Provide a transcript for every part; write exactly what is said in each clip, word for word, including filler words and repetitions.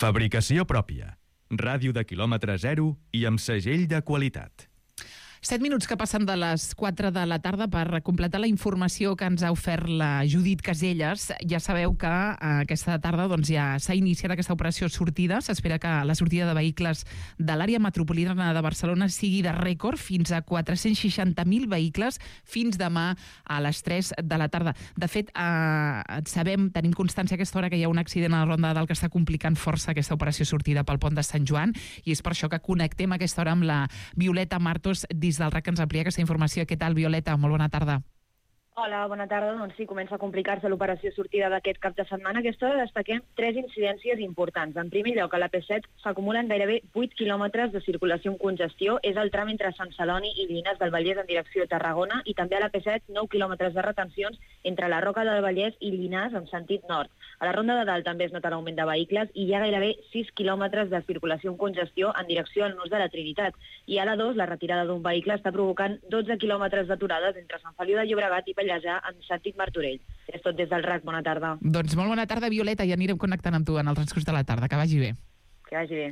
Fabricació pròpia. Ràdio de quilòmetre zero i amb segell de qualitat. Set minuts que passen de les quatre de la tarda per completar la informació que ens ha ofert la Judit Caselles. Ja sabeu que aquesta tarda doncs, ja s'ha iniciat aquesta operació sortida. S'espera que la sortida de vehicles de l'àrea metropolitana de Barcelona sigui de rècord, fins a quatre-cents seixanta mil vehicles fins demà a les tres de la tarda. De fet, eh, sabem, tenim constància a aquesta hora que hi ha un accident a la Ronda de Dalt que està complicant força aquesta operació sortida pel pont de Sant Joan, i és per això que connectem a aquesta hora amb la Violeta Martos des del R A C, que ens amplia aquesta informació. Què tal, Violeta? Molt bona tarda. Hola, bona tarda. Doncs sí, comença a complicar-se l'operació sortida d'aquest cap de setmana. Aquesta hora destaquem tres incidències importants. En primer lloc, a la P set s'acumulen gairebé vuit quilòmetres de circulació amb congestió. És el tram entre Sant Celoni i Llinars del Vallès en direcció a Tarragona, i també a la P set nou quilòmetres de retencions entre la Roca del Vallès i Llinars en sentit nord. A la Ronda de Dalt també es nota l'augment de vehicles i hi ha gairebé sis quilòmetres de circulació amb congestió en direcció al nus de la Trinitat. I a la dos, la retirada d'un vehicle està provocant dotze quilòmetres d'aturades entre Sant Feliu de Llobregat i Pallejà en sentit Martorell. És tot des del R A C. Bona tarda. Doncs molt bona tarda, Violeta, i anirem connectant amb tu en el transcurs de la tarda. Que vagi bé. Que vagi bé.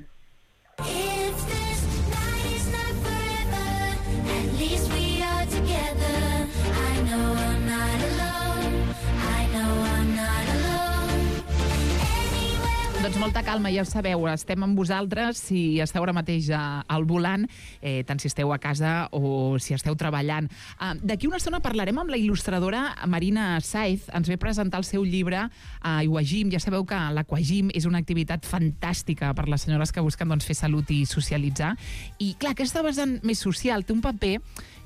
Doncs molta calma, ja ho sabeu, estem amb vosaltres si esteu ara mateix al volant, eh, tant si esteu a casa o si esteu treballant. Uh, D'aquí una estona parlarem amb la il·lustradora Marina Sáez. Ens ve presentar el seu llibre uh, Aquagym. Ja sabeu que l'Aquagym és una activitat fantàstica per les senyores que busquen doncs, fer salut i socialitzar. I clar, aquesta vessant més social té un paper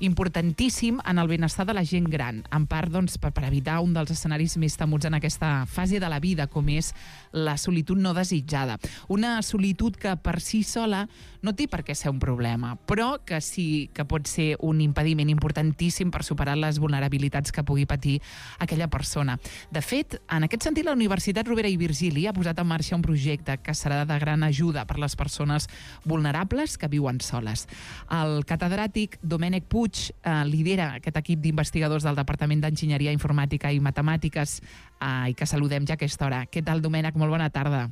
importantíssim en el benestar de la gent gran, en part doncs, per, per evitar un dels escenaris més temuts en aquesta fase de la vida, com és la solitud no desitjada. Una solitud que per si sola no té per què ser un problema, però que sí que pot ser un impediment importantíssim per superar les vulnerabilitats que pugui patir aquella persona. De fet, en aquest sentit, la Universitat Rovira i Virgili ha posat en marxa un projecte que serà de gran ajuda per les persones vulnerables que viuen soles. El catedràtic Domènec Puig eh, lidera aquest equip d'investigadors del Departament d'Enginyeria Informàtica i Matemàtiques eh, i que saludem ja a aquesta hora. Què tal, Domènec? Molt bona tarda.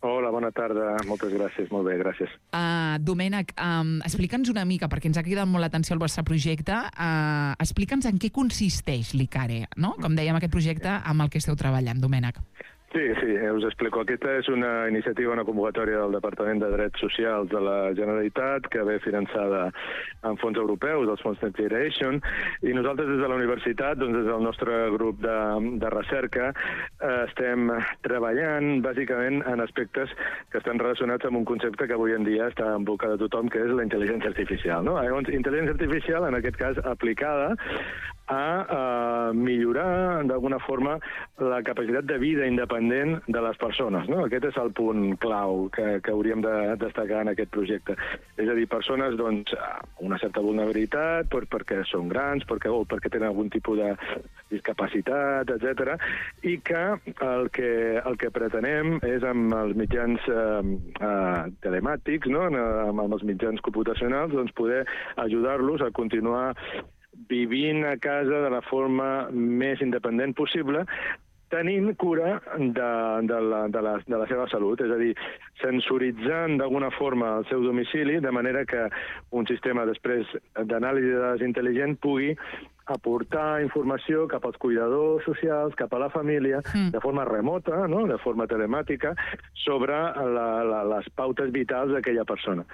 Hola, bona tarda. Moltes gràcies. Molt bé, gràcies. Uh, Domènec, um, explica'ns una mica, perquè ens ha cridat molt l'atenció el vostre projecte. Uh, explica'ns en què consisteix l'ICARE, no? Com dèiem, aquest projecte amb el que esteu treballant, Domènec. Sí, sí, us explico. Aquesta és una iniciativa, una convocatòria del Departament de Drets Socials de la Generalitat que ve finançada amb fons europeus, els fons Next Generation, i nosaltres des de la universitat, doncs des del nostre grup de, de recerca, eh, estem treballant bàsicament en aspectes que estan relacionats amb un concepte que avui en dia està en boca de tothom, que és la intel·ligència artificial. No? Llavors, intel·ligència artificial, en aquest cas, aplicada a eh, millorar d'alguna forma la capacitat de vida independent de les persones. No? Aquest és el punt clau que, que hauríem de destacar en aquest projecte. És a dir, persones doncs, amb una certa vulnerabilitat per, perquè són grans, perquè, o perquè tenen algun tipus de discapacitat, etcètera, i que el que, el que pretenem és amb els mitjans eh, eh, telemàtics, no? amb, amb els mitjans computacionals, doncs, poder ajudar-los a continuar vivint a casa de la forma més independent possible, tenint cura de, de, la, de, la, de la seva salut, és a dir, sensoritzant d'alguna forma el seu domicili, de manera que un sistema després d'anàlisi de dades intel·ligent pugui aportar informació cap als cuidadors socials, cap a la família, mm. de forma remota, no? De forma telemàtica, sobre la, la, les pautes vitals d'aquella persona.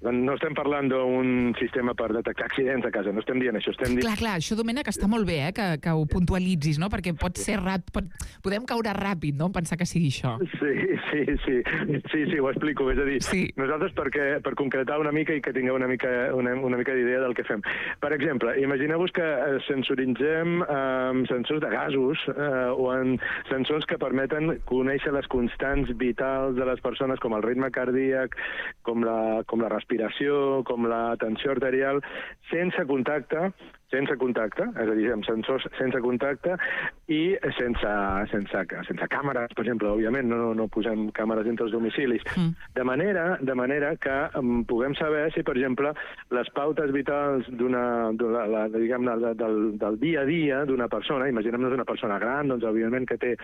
No estem parlant d'un sistema per detectar accidents a casa, no estem dient això. Estem dient... Clar, clar, això, Domènec, està molt bé, eh, que, que ho puntualitzis, no? Perquè pot ser ràpid, pot... podem caure ràpid, no?, en pensar que sigui això. Sí, sí, sí, sí, sí, ho explico. És a dir, sí. nosaltres, perquè, per concretar una mica i que tingueu una mica, una, una mica d'idea del que fem. Per exemple, imagineu-vos que sensoritzem amb eh, sensors de gasos eh, o en sensors que permeten conèixer les constants vitals de les persones, com el ritme cardíac, com la, com la respiració, com la tensió arterial, sense contacte, sense contacte, és a dir, amb sensors sense contacte, i sense, sense, sense càmeres, per exemple, òbviament, no, no posem càmeres dintre els domicilis, mm. de, manera, de manera que um, puguem saber si, per exemple, les pautes vitals d'una, la, la, diguem, del, del dia a dia d'una persona, imaginem-nos una persona gran, doncs, òbviament, que té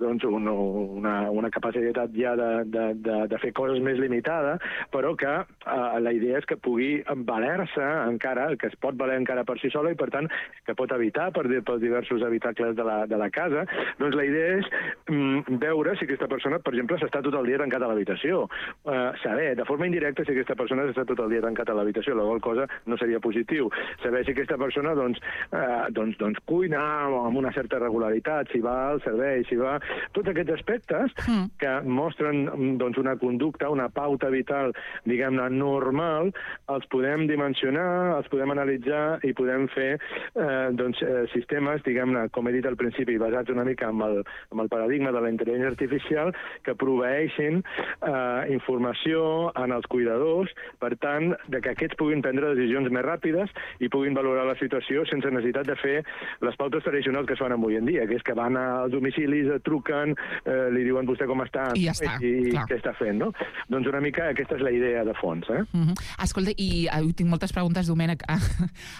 doncs, un, una, una capacitat ja de, de, de, de fer coses més limitada, però que eh, la idea és que pugui valer-se encara, que es pot valer encara per si sola i, per tant, que pot evitar per, pels diversos habitacles de la, de la casa. Doncs la idea és mm, veure si aquesta persona, per exemple, s'està tot el dia tancat a l'habitació. Eh, saber, de forma indirecta, si aquesta persona s'està tot el dia tancat a l'habitació, la qual cosa no seria positiu. Saber si aquesta persona doncs, eh, doncs, doncs cuina amb una certa regularitat, si va al servei, si va... Tots aquests aspectes mm. que mostren doncs, una conducta, una pauta vital, diguem-ne, normal, els podem dimensionar, els podem analitzar i podem fer eh, doncs, eh, sistemes, diguem-ne, com he dit al principi, basats una mica en el, en el paradigma de la intel·ligència artificial, que proveeixin eh, informació en els cuidadors, per tant, de que aquests puguin prendre decisions més ràpides i puguin valorar la situació sense necessitat de fer les pautes tradicionals que es fan avui en dia, que és que van als domicilis, truquen, eh, li diuen vostè com està i, ja està, i, i què està fent, no? Doncs una mica aquesta és la idea de fons, eh? Uh-huh. Escolta, i uh, tinc moltes preguntes, Domènec.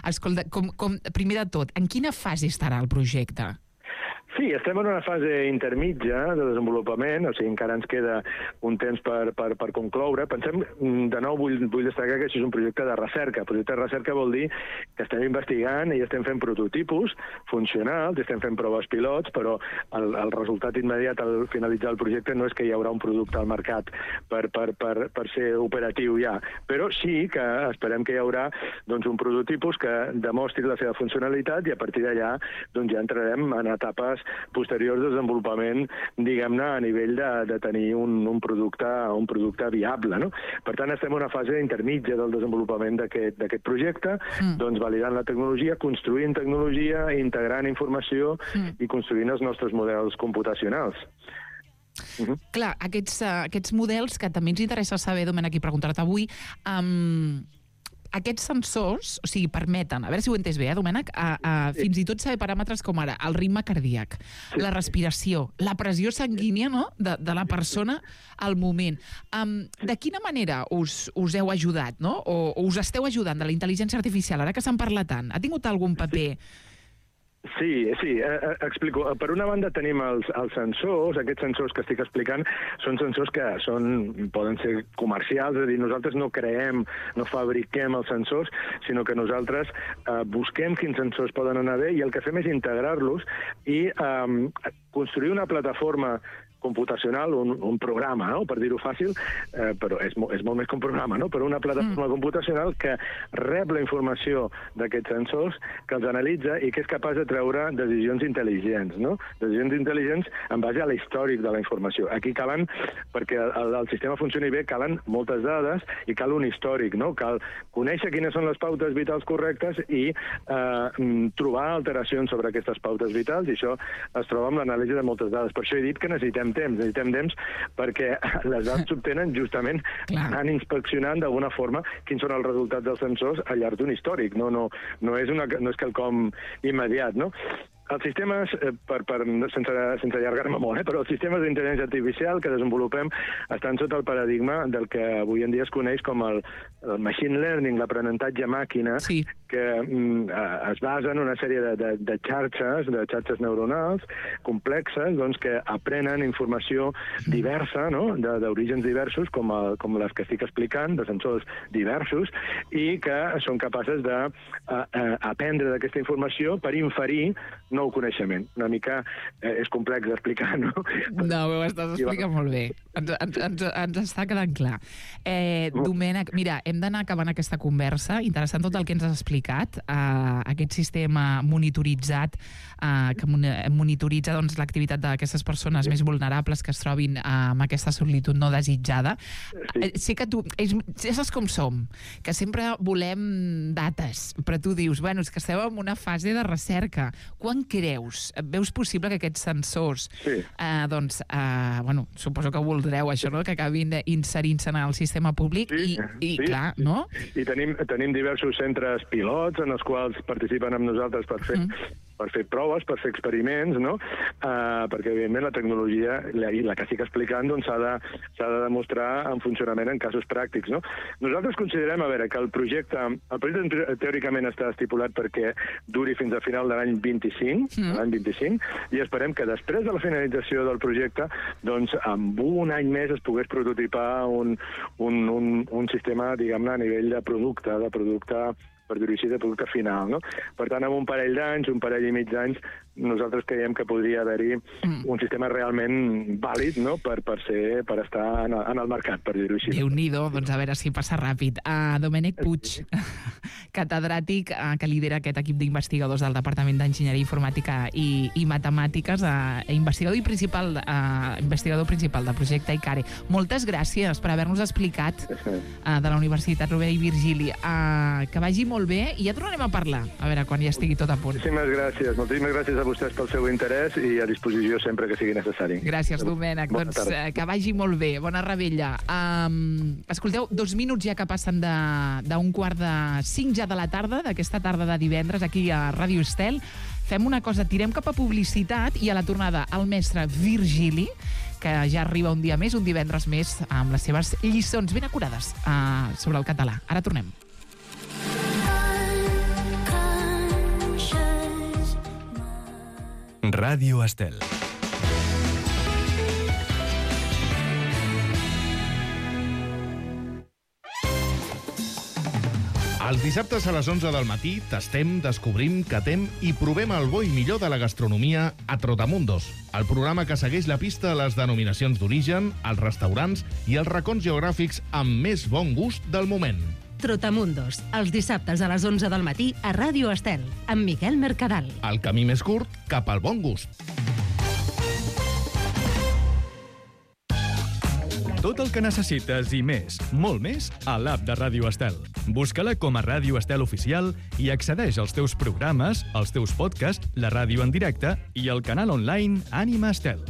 Escolta, com, com, primer de tot, en quina fase estarà el projecte? Sí, estem en una fase intermitja de desenvolupament, o sigui, encara ens queda un temps per, per, per concloure. Pensem, de nou, vull, vull destacar que això és un projecte de recerca. Projecte de recerca vol dir que estem investigant i estem fent prototipus funcionals, estem fent proves pilots, però el, el resultat immediat al finalitzar el projecte no és que hi haurà un producte al mercat per, per, per, per ser operatiu ja, però sí que esperem que hi haurà doncs, un prototipus que demostri la seva funcionalitat i a partir d'allà doncs, ja entrarem en etapes posteriors de desenvolupament, diguem-ne, a nivell de, de tenir un, un, producte, un producte viable, no? Per tant, estem en una fase intermitja del desenvolupament d'aquest projecte, mm. doncs validant la tecnologia, construint tecnologia, integrant informació mm. i construint els nostres models computacionals. Uh-huh. Clar, aquests, uh, aquests models que també ens interessa saber, Domènec, i preguntar-te avui, um, aquests sensors, o sigui, permeten, a veure si ho he entès bé, eh, Domènec, a, a, sí. fins i tot saber paràmetres com ara el ritme cardíac, sí. la respiració, la pressió sanguínia, no?, de, de la persona al moment. Um, de quina manera us, us heu ajudat, no?, o, o us esteu ajudant de la intel·ligència artificial, ara que se'n parla tant? Ha tingut algun paper... Sí. Sí, sí, eh, explico. Per una banda tenim els, els sensors, aquests sensors que estic explicant són sensors que són, poden ser comercials, és a dir, nosaltres no creem, no fabriquem els sensors, sinó que nosaltres eh, busquem quins sensors poden anar bé i el que fem és integrar-los i eh, construir una plataforma computacional, un, un programa, no?, per dir-ho fàcil, eh, però és, és molt més que un programa, no?, però una plataforma mm. computacional que rep la informació d'aquests sensors, que els analitza i que és capaç de treure decisions intel·ligents, no?, decisions intel·ligents en base a l'històric de la informació. Aquí calen, perquè el, el sistema funcioni bé, calen moltes dades i cal un històric, no?, cal conèixer quines són les pautes vitals correctes i eh, trobar alteracions sobre aquestes pautes vitals, i això es troba amb l'anàlisi de moltes dades. Per això he dit que necessitem temps, necessitem temps perquè les dades s'obtenen justament anant inspeccionant d'alguna forma quins són els resultats dels sensors al llarg d'un històric. No, no, no, és una, no és quelcom immediat, no? Els sistemes, per, per, sense, sense allargar-me molt, eh, però els sistemes d'intel·ligència artificial que desenvolupem estan sota el paradigma del que avui en dia es coneix com el, el machine learning, l'aprenentatge màquina, sí. que mm, es basa en una sèrie de, de, de xarxes, de xarxes neuronals complexes, doncs, que aprenen informació diversa, no?, d'orígens diversos, com, el, com les que estic explicant, de sensors diversos, i que són capaces d'aprendre d'aquesta informació per inferir nou coneixement. Una mica eh, és complex d'explicar, no? No, ho estàs explicant molt bé. Ens, ens, ens, ens està quedant clar. Eh, Domènec, mira, hem d'anar acabant aquesta conversa. Interessant tot el que ens has explicat. Uh, aquest sistema monitoritzat uh, que monitoritza doncs, l'activitat d'aquestes persones sí. més vulnerables que es trobin uh, amb aquesta solitud no desitjada. Sí. Uh, sé que tu... És, ja saps com som, que sempre volem dates, però tu dius, bueno, és que estem en una fase de recerca. Quan creus? Veus possible que aquests sensors, sí. eh, doncs, eh, bueno, suposo que voldreu això, no?, que acabin inserint-se en el sistema públic sí, i, i sí, clar, sí. no? I tenim, tenim diversos centres pilots en els quals participen amb nosaltres per fer, mm. per fer proves, per fer experiments, no? Uh, perquè, evidentment, la tecnologia, la, la que estic explicant, doncs, s'ha de, s'ha de demostrar en funcionament en casos pràctics, no? Nosaltres considerem, a veure, que el projecte, el projecte teòricament està estipulat perquè duri fins al final de l'any vint-i-cinc, mm. l'any vint-i-cinc, i esperem que després de la finalització del projecte, doncs, amb un any més es pogués prototipar un, un, un, un sistema, diguem-ne, a nivell de producte, de producte per dir-ho així, de producte final, no? Per tant, amb un parell d'anys, un parell i mig d'anys, nosaltres creiem que podria haver-hi mm. un sistema realment vàlid, no?, per, per, ser, per estar en el, en el mercat, per dir-ho així. Déu-n'hi-do, doncs a veure si passa ràpid. Uh, Domènec Puig, catedràtic uh, que lidera aquest equip d'investigadors del Departament d'Enginyeria Informàtica i, i Matemàtiques, uh, investigador i principal, uh, investigador principal del projecte ICARE. Moltes gràcies per haver-nos explicat uh, de la Universitat Rovira i Virgili. Uh, que vagi molt bé i ja tornarem a parlar, a veure, quan ja estigui tot a punt. Moltíssimes gràcies, moltíssimes gràcies a vostès pel seu interès i a disposició sempre que sigui necessari. Gràcies, Domènec. Bona doncs tarda. Que vagi molt bé. Bona revetlla. Um, escolteu, dos minuts ja que passen d'un quart de cinc ja de la tarda, d'aquesta tarda de divendres, aquí a Ràdio Estel. Fem una cosa, tirem cap a publicitat i a la tornada el mestre Virgili, que ja arriba un dia més, un divendres més, amb les seves lliçons ben acurades uh, sobre el català. Ara tornem. Ràdio Estel. Els dissabtes a les onze del matí tastem, descobrim, catem i provem el bo i millor de la gastronomia a Trotamundos, el programa que segueix la pista a les denominacions d'origen, els restaurants i els racons geogràfics amb més bon gust del moment. Trotamundos, els dissabtes a les onze del matí a Ràdio Estel, amb Miquel Mercadal. El camí més curt cap al bon gust. Tot el que necessites i més, molt més, a l'app de Ràdio Estel. Busca-la com a Ràdio Estel Oficial i accedeix als teus programes, als teus podcasts, la ràdio en directe i el canal online Ànima Estel.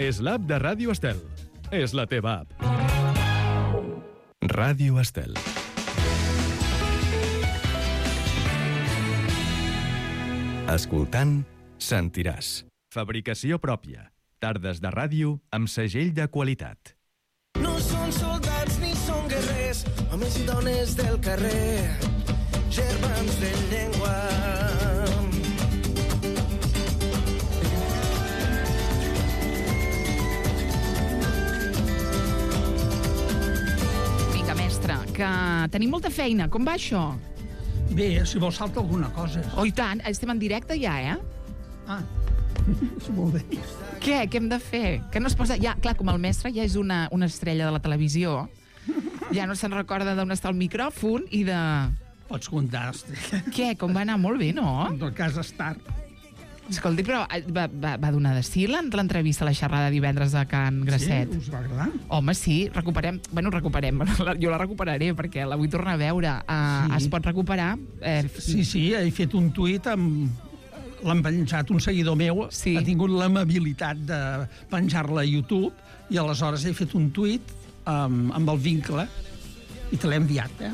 És l'app de Ràdio Estel. És la teva app. Ràdio Estel. Escoltant, sentiràs. Fabricació pròpia. Tardes de ràdio amb segell de qualitat. No són soldats ni són guerrers, homes i dones del carrer, germans de llengua. Vinga, mestre, que tenim molta feina. Com va això? Bé, si vols salta alguna cosa. Oh, i tant. Estem en directe ja, eh? Ah, molt bé. Què? Què hem de fer? Que no es posa... Ja, clar, com el mestre ja és una, una estrella de la televisió, ja no se'n recorda d'on està el micròfon i de... Pots comptar, estrella. Què? Com va anar? Molt bé, no? Del cas Star. Escolti, però va, va, va donar de sí l'entrevista a la xerrada divendres de Can Grasset? Sí, us va agradar? Home, sí, recuperem... Bueno, recuperem. Jo la recuperaré, perquè la vull tornar a veure. Uh, sí. Es pot recuperar? Eh... Sí, sí, he fet un tuit amb... L'han penjat un seguidor meu, sí. Ha tingut l'amabilitat de penjar-la a YouTube, i aleshores he fet un tuit um, amb el vincle, i te l'he enviat, eh?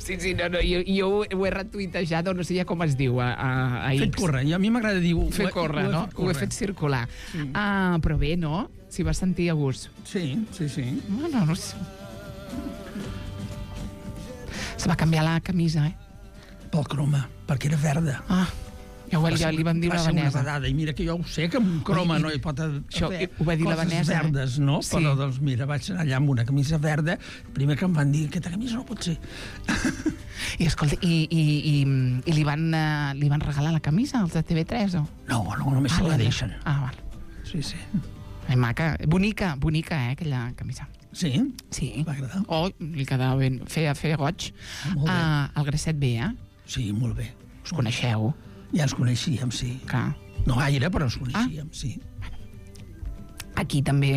Sí, sí, no, no, jo, jo ho he retuitejat, o no sé ja com es diu, a, a, a X. Fet córrer, i a mi m'agrada dir... Fer córrer, no? Ho he fet circular. Sí. Uh, però bé, no? S'hi va sentir a gust. Sí, sí, sí. No, no, no sé. Se va canviar la camisa, eh? Pel croma, perquè era verda. Ah, ja, ho, ja li vam dir la Vanessa. Va ser una vedada, i mira que jo ho sé, que amb un croma I, no hi pot haver això, ho va dir la Vanessa, coses verdes, no? Sí. Però, doncs, mira, vaig anar allà amb una camisa verda, primer que em van dir, aquesta camisa no pot ser. I, escolta, i, i, i, i li, van, uh, li van regalar la camisa, els de T V tres, o? No, no, només ah, se la deixen. Ah, val. Sí, sí. Ai, maca, bonica, bonica, eh, aquella camisa. Sí? Sí. Va agradar? Oh, li quedava ben... Feia, feia goig. Ah, molt bé. Uh, el Grasset bé, eh? Sí, molt bé. Us coneixeu? Ja ens coneixíem, sí. Clar. No gaire, però ens coneixíem, ah. sí. Aquí també,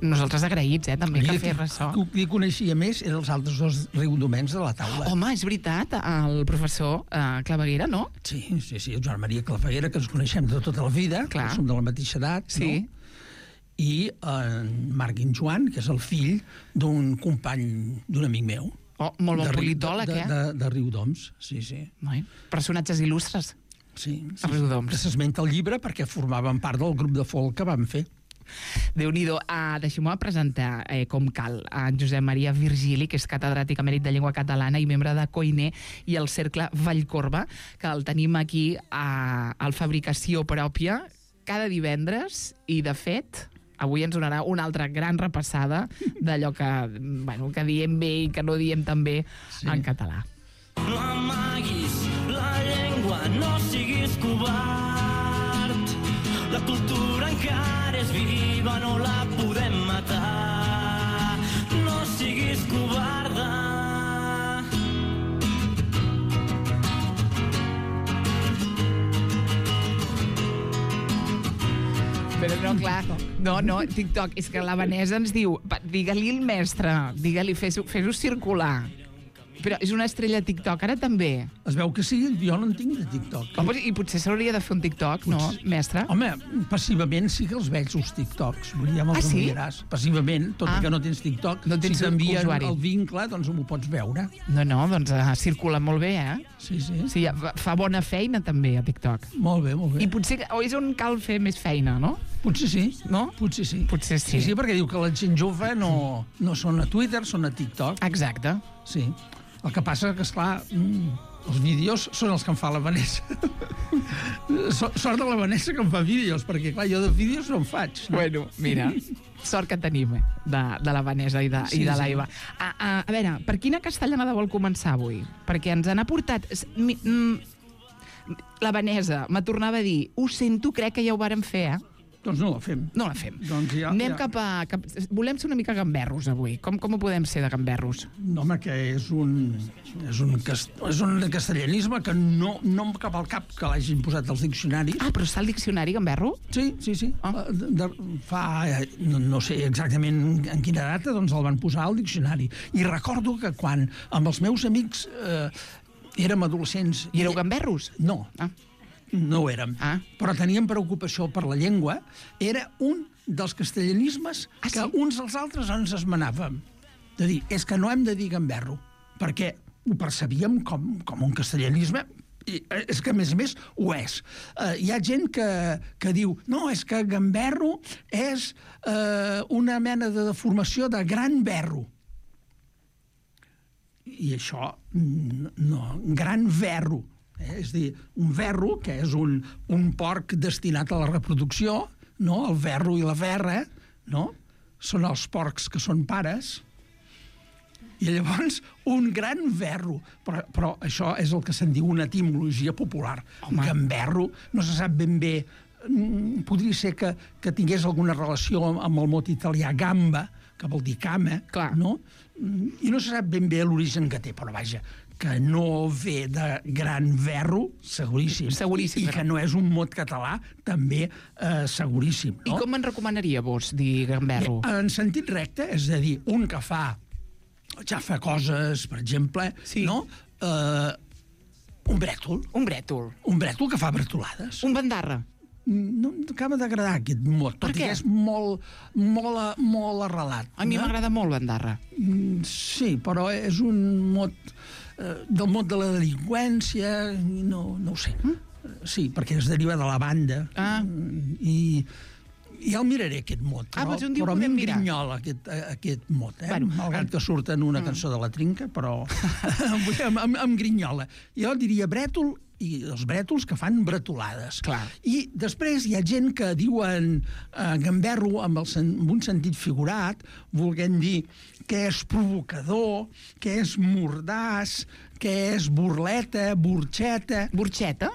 nosaltres agraïts, eh, també, que fer ressò. Qui coneixia més eren els altres dos riudomens de la taula. Home, és veritat, el professor uh, Claveguera, no? Sí, sí, sí, el Joan Maria Claveguera, que ens coneixem de tota la vida, clar. Que som de la mateixa edat, sí. No? I en Marc i en Joan, que és el fill d'un company, d'un amic meu. Oh, molt bon politòleg, de, eh? De, de, de Riudoms, sí, sí. Noi, personatges il·lustres. Sí, sí, Riudoms. que s'esmenta el llibre perquè formaven part del grup de folk que vam fer. Déu-n'hi-do. Uh, Deixeu-me presentar, eh, com cal, a Josep Maria Virgili, que és catedràtic emèrit de llengua catalana i membre de Koiné i el Cercle Vallcorba, que el tenim aquí a, a Fabricació Pròpia cada divendres i, de fet, avui ens donarà una altra gran repassada d'allò que, bueno, que diem bé i que no diem tan bé sí. en català. No amaguis la llengua, no siguis covard. La cultura encara és viva, no la podem matar. No siguis covarda. Però no, clar, no, no, TikTok, és que la Vanessa ens diu, digue-li al mestre, digue-li, fes-ho fes circular. Però és una estrella TikTok, ara també. Es veu que sí, jo no en tinc de TikTok. Home, i potser s'hauria de fer un TikTok, potser... no, mestre? Home, passivament sí que els veig, els TikToks. Ja me'ls ah, sí? enviaràs. Passivament, tot ah. i que no tens TikTok, no tens si t'envien el vincle, doncs m'ho pots veure. No, no, doncs uh, circula molt bé, eh? Sí, sí. Sí, fa bona feina també a TikTok. Molt bé, molt bé. I potser o és on cal fer més feina, no? Potser sí. No? Potser sí. Potser sí. Sí, sí, perquè diu que la gent jove no, no són a Twitter, són a TikTok. Exacte. Sí. El que passa que, esclar, els vídeos són els que em fa la Vanessa. Sort de la Vanessa que em fa vídeos, perquè, clar, jo de vídeos no en faig. No? Bueno, mira, sort que tenim de, de la Vanessa i de, sí, i de l'Aiva. Sí. A, a, a veure, per quina castellanada vol començar avui? Perquè ens han aportat... La Vanessa me tornava a dir, ho sento, crec que ja ho vàrem fer, eh? Doncs no la fem. No la fem. Doncs ja, Anem ja. cap a... Cap, volem ser una mica gamberros, avui. Com, com ho podem ser, de gamberros? No, home, que és un, és un, cast, és un castellanisme que no, no em cap al cap que l'hagin posat als diccionaris. Ah, però està al diccionari, gamberro? Sí, sí, sí. Ah. De, de, fa... No, no sé exactament en quina data, doncs el van posar al diccionari. I recordo que quan amb els meus amics eh, érem adolescents... I éreu gamberros? No. Ah. No ho érem, ah. però teníem preocupació per la llengua. Era un dels castellanismes ah, que sí? uns als altres ens esmenàvem. De dir, és que no hem de dir gamberro, perquè ho percebíem com, com un castellanisme, i és que, a més a més, ho és. Uh, hi ha gent que, que diu, no, és que gamberro és uh, una mena de deformació de gran verro. I això, no, gran verro. Eh? És a dir, un verro, que és un, un porc destinat a la reproducció, no? El verro i la verra, no? Són els porcs que són pares, i llavors un gran verro. Però, però això és el que se'n diu una etimologia popular. Home. Un gamberro, no se sap ben bé, podria ser que, que tingués alguna relació amb el mot italià gamba, que vol dir cama, clar, no? I no se sap ben bé l'origen que té, però vaja, que no ve de gran verro, seguríssim. Seguríssim. I que no és un mot català, també eh, seguríssim. No? I com me'n recomanaria vos dir gamberro? Bé, en sentit recte, és a dir, un que fa, ja fa coses, per exemple, sí. no? Eh, un brètol. Un brètol. Un brètol que fa bretolades. Un bandarra. No m'acaba d'agradar aquest mot, tot i que és molt, molt, molt arrelat. A mi m'agrada molt bandarra. Sí, però és un mot eh, del mot de la delinqüència, no, no ho sé. Mm? Sí, perquè es deriva de la banda. Ah. I, i ja el miraré, aquest mot. Ah, però, doncs un dia però ho podem a mi em mirar. grinyola aquest, aquest mot, eh? Bueno, malgrat que surt en una cançó de la Trinca, però em, em, em grinyola. Jo diria brètol, i els brètols que fan bretolades. Clar. I després hi ha gent que diuen eh, gamberro amb, el, amb un sentit figurat, volent dir que és provocador, que és mordàs, que és burleta, burxeta... Burxeta?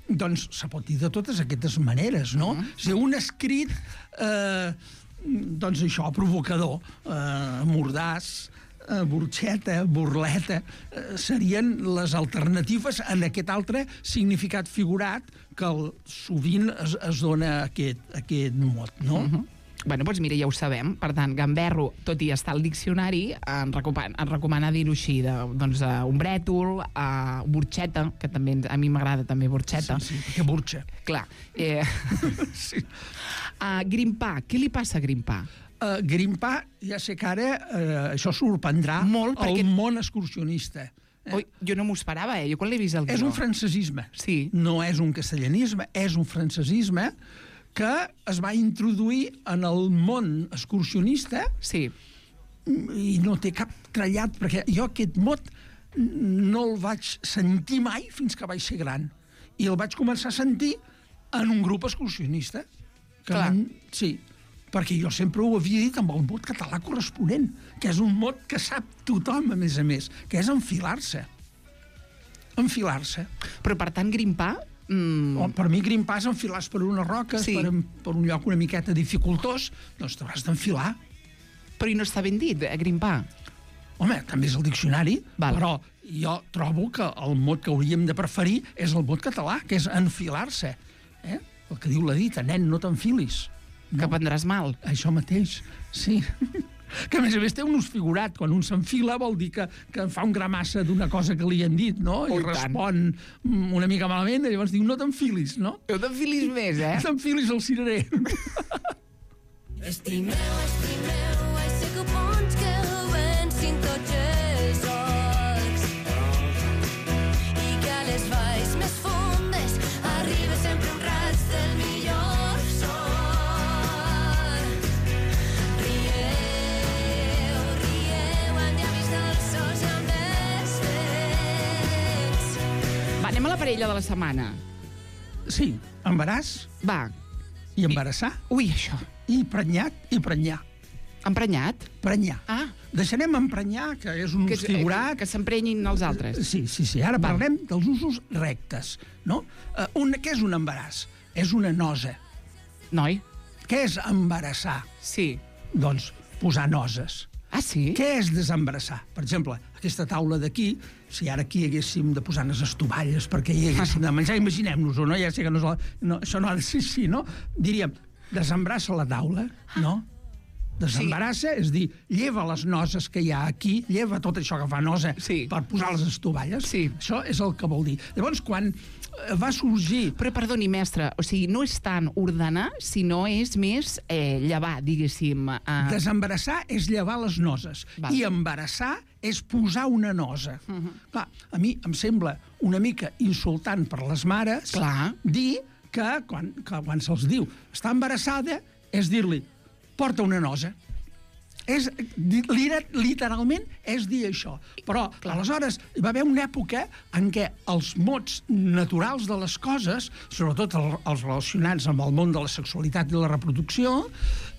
Doncs se pot dir de totes aquestes maneres, no? Uh -huh. Si un escrit, eh, doncs això, provocador, eh, mordàs, eh, burxeta, burleta, eh, serien les alternatives en aquest altre significat figurat que el, sovint es, es dona aquest, aquest mot, no? Uh -huh. Bueno, doncs mira, ja ho sabem. Per tant, gamberro, tot i estar al diccionari, en recomana, en recomana dir-ho així, de, doncs, uh, un brètol, uh, burxeta, que també a mi m'agrada també burxeta. Sí, sí, perquè burxa. Clar. Eh... sí. Uh, grimpar, què li passa a grimpar? Uh, grimpar, ja sé que ara uh, això sorprendrà molt perquè... el món excursionista. Oi, jo no m'ho esperava, eh? Jo quan l'he vist al guió. És un francesisme. Sí. No és un castellanisme, és un francesisme que es va introduir en el món excursionista. Sí. I no té cap trellat, perquè jo aquest mot no el vaig sentir mai fins que vaig ser gran. I el vaig començar a sentir en un grup excursionista. Que Clar. Van, sí, perquè jo sempre ho havia dit amb el mot català corresponent, que és un mot que sap tothom, a més a més, que és enfilar-se. Enfilar-se. Però, per tant, grimpar... Mm... O, per mi, grimpar és enfilar-se per unes roques, Sí. per, per un lloc una miqueta dificultós, doncs t'hauràs d'enfilar. Però i no està ben dit, eh, grimpar. Home, també és el diccionari, Val. però jo trobo que el mot que hauríem de preferir és el mot català, que és enfilar-se. Eh? El que diu la dita, nen, no t'enfilis. No. Que prendràs mal. Això mateix, sí. Que, a més a més, té un ús figurat. Quan un s'enfila vol dir que, que fa un gramassa d'una cosa que li han dit, no? Oh, I i tant. respon una mica malament, i llavors diu, no t'enfilis, no? No t'enfilis més, eh? No t'enfilis al cirerer. Estimeu, estimeu, ai sé que bons que vencin tots els orcs i que a les valls més fondes arriba sempre un raig del millor sol. Rieu, rieu, amb llavis dolços i amb els fets. Va, anem a la parella de la setmana. Sí, embaràs Va. i embarassar. Ui, això. I prenyat i prenyar. Emprenyat? Prenyar. Ah. Deixarem emprenyar, que és un Que, ús figurat. que, que s'emprenyin els altres. Sí, sí, sí. Ara Val. parlem dels usos rectes, no? Uh, un, què és un embaràs? És una nosa. Noi? Què és embarassar? Sí. Doncs posar noses. Ah, sí? Què és desembarassar? Per exemple, aquesta taula d'aquí, si ara aquí haguéssim de posar unes estovalles perquè hi haguéssim de menjar, imaginem-nos-ho, no? Ja sé que no és la... no, això no ha de ser així, no? Diríem, desembrassa la taula, no? Desembarassa, sí. És dir, lleva les noses que hi ha aquí, lleva tot això que fa nosa Sí. per posar les estovalles. Sí. Això és el que vol dir. Llavors, quan va sorgir... Però, perdoni, mestre, o sigui, no és tant ordenar, sinó és més eh, llevar, diguéssim. Eh... Desembarassar és llevar les noses. Val. I embarassar és posar una nosa. Uh -huh. Clar, a mi em sembla una mica insultant per les mares Clar. dir que quan, que quan se'ls diu està embarassada és dir-li porta una nosa. És, literalment és dir això. Però, Clar. aleshores, hi va haver una època en què els mots naturals de les coses, sobretot el, els relacionats amb el món de la sexualitat i la reproducció,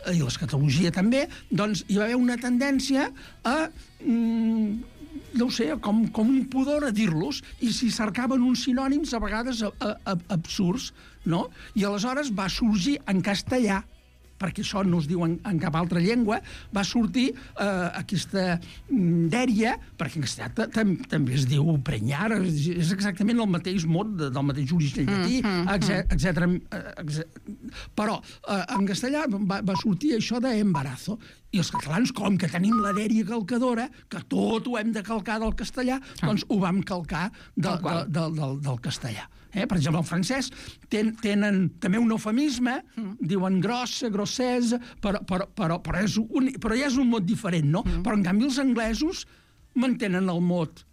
eh, i l'escatologia també, doncs hi va haver una tendència a... Mm, no ho sé, com, com un pudor a dir-los, i s'hi cercaven uns sinònims a vegades a, a, a, absurds, no? I aleshores va sorgir en castellà, perquè això no es diu en, en cap altra llengua, va sortir eh, aquesta dèria, perquè en castellà també es diu prenyar, és exactament el mateix mot de, del mateix origen llatí, mm, etcètera. Però eh, en castellà va, va sortir això d'embarazo, i els catalans, com que tenim la dèria calcadora, que tot ho hem de calcar del castellà, doncs ho vam calcar de, de, de, del, del castellà. Eh? Per exemple, el francès ten, tenen també un eufemisme, mm. diuen grossa, grossesa, però, però, però, però, és un, però ja és un mot diferent, no? Mm. Però, en canvi, els anglesos mantenen el mot,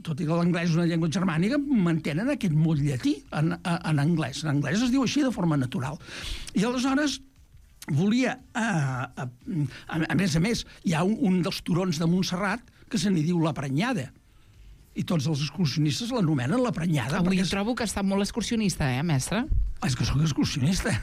tot i que l'anglès és una llengua germànica, mantenen aquest mot llatí en, en anglès. En anglès es diu així de forma natural. I aleshores volia, a, a, a, a més a més, hi ha un, un dels turons de Montserrat que se n'hi diu la Prenyada. I tots els excursionistes l'anomenen la Prenyada. Avui és... trobo que està molt excursionista, eh, mestre? És que sóc excursionista.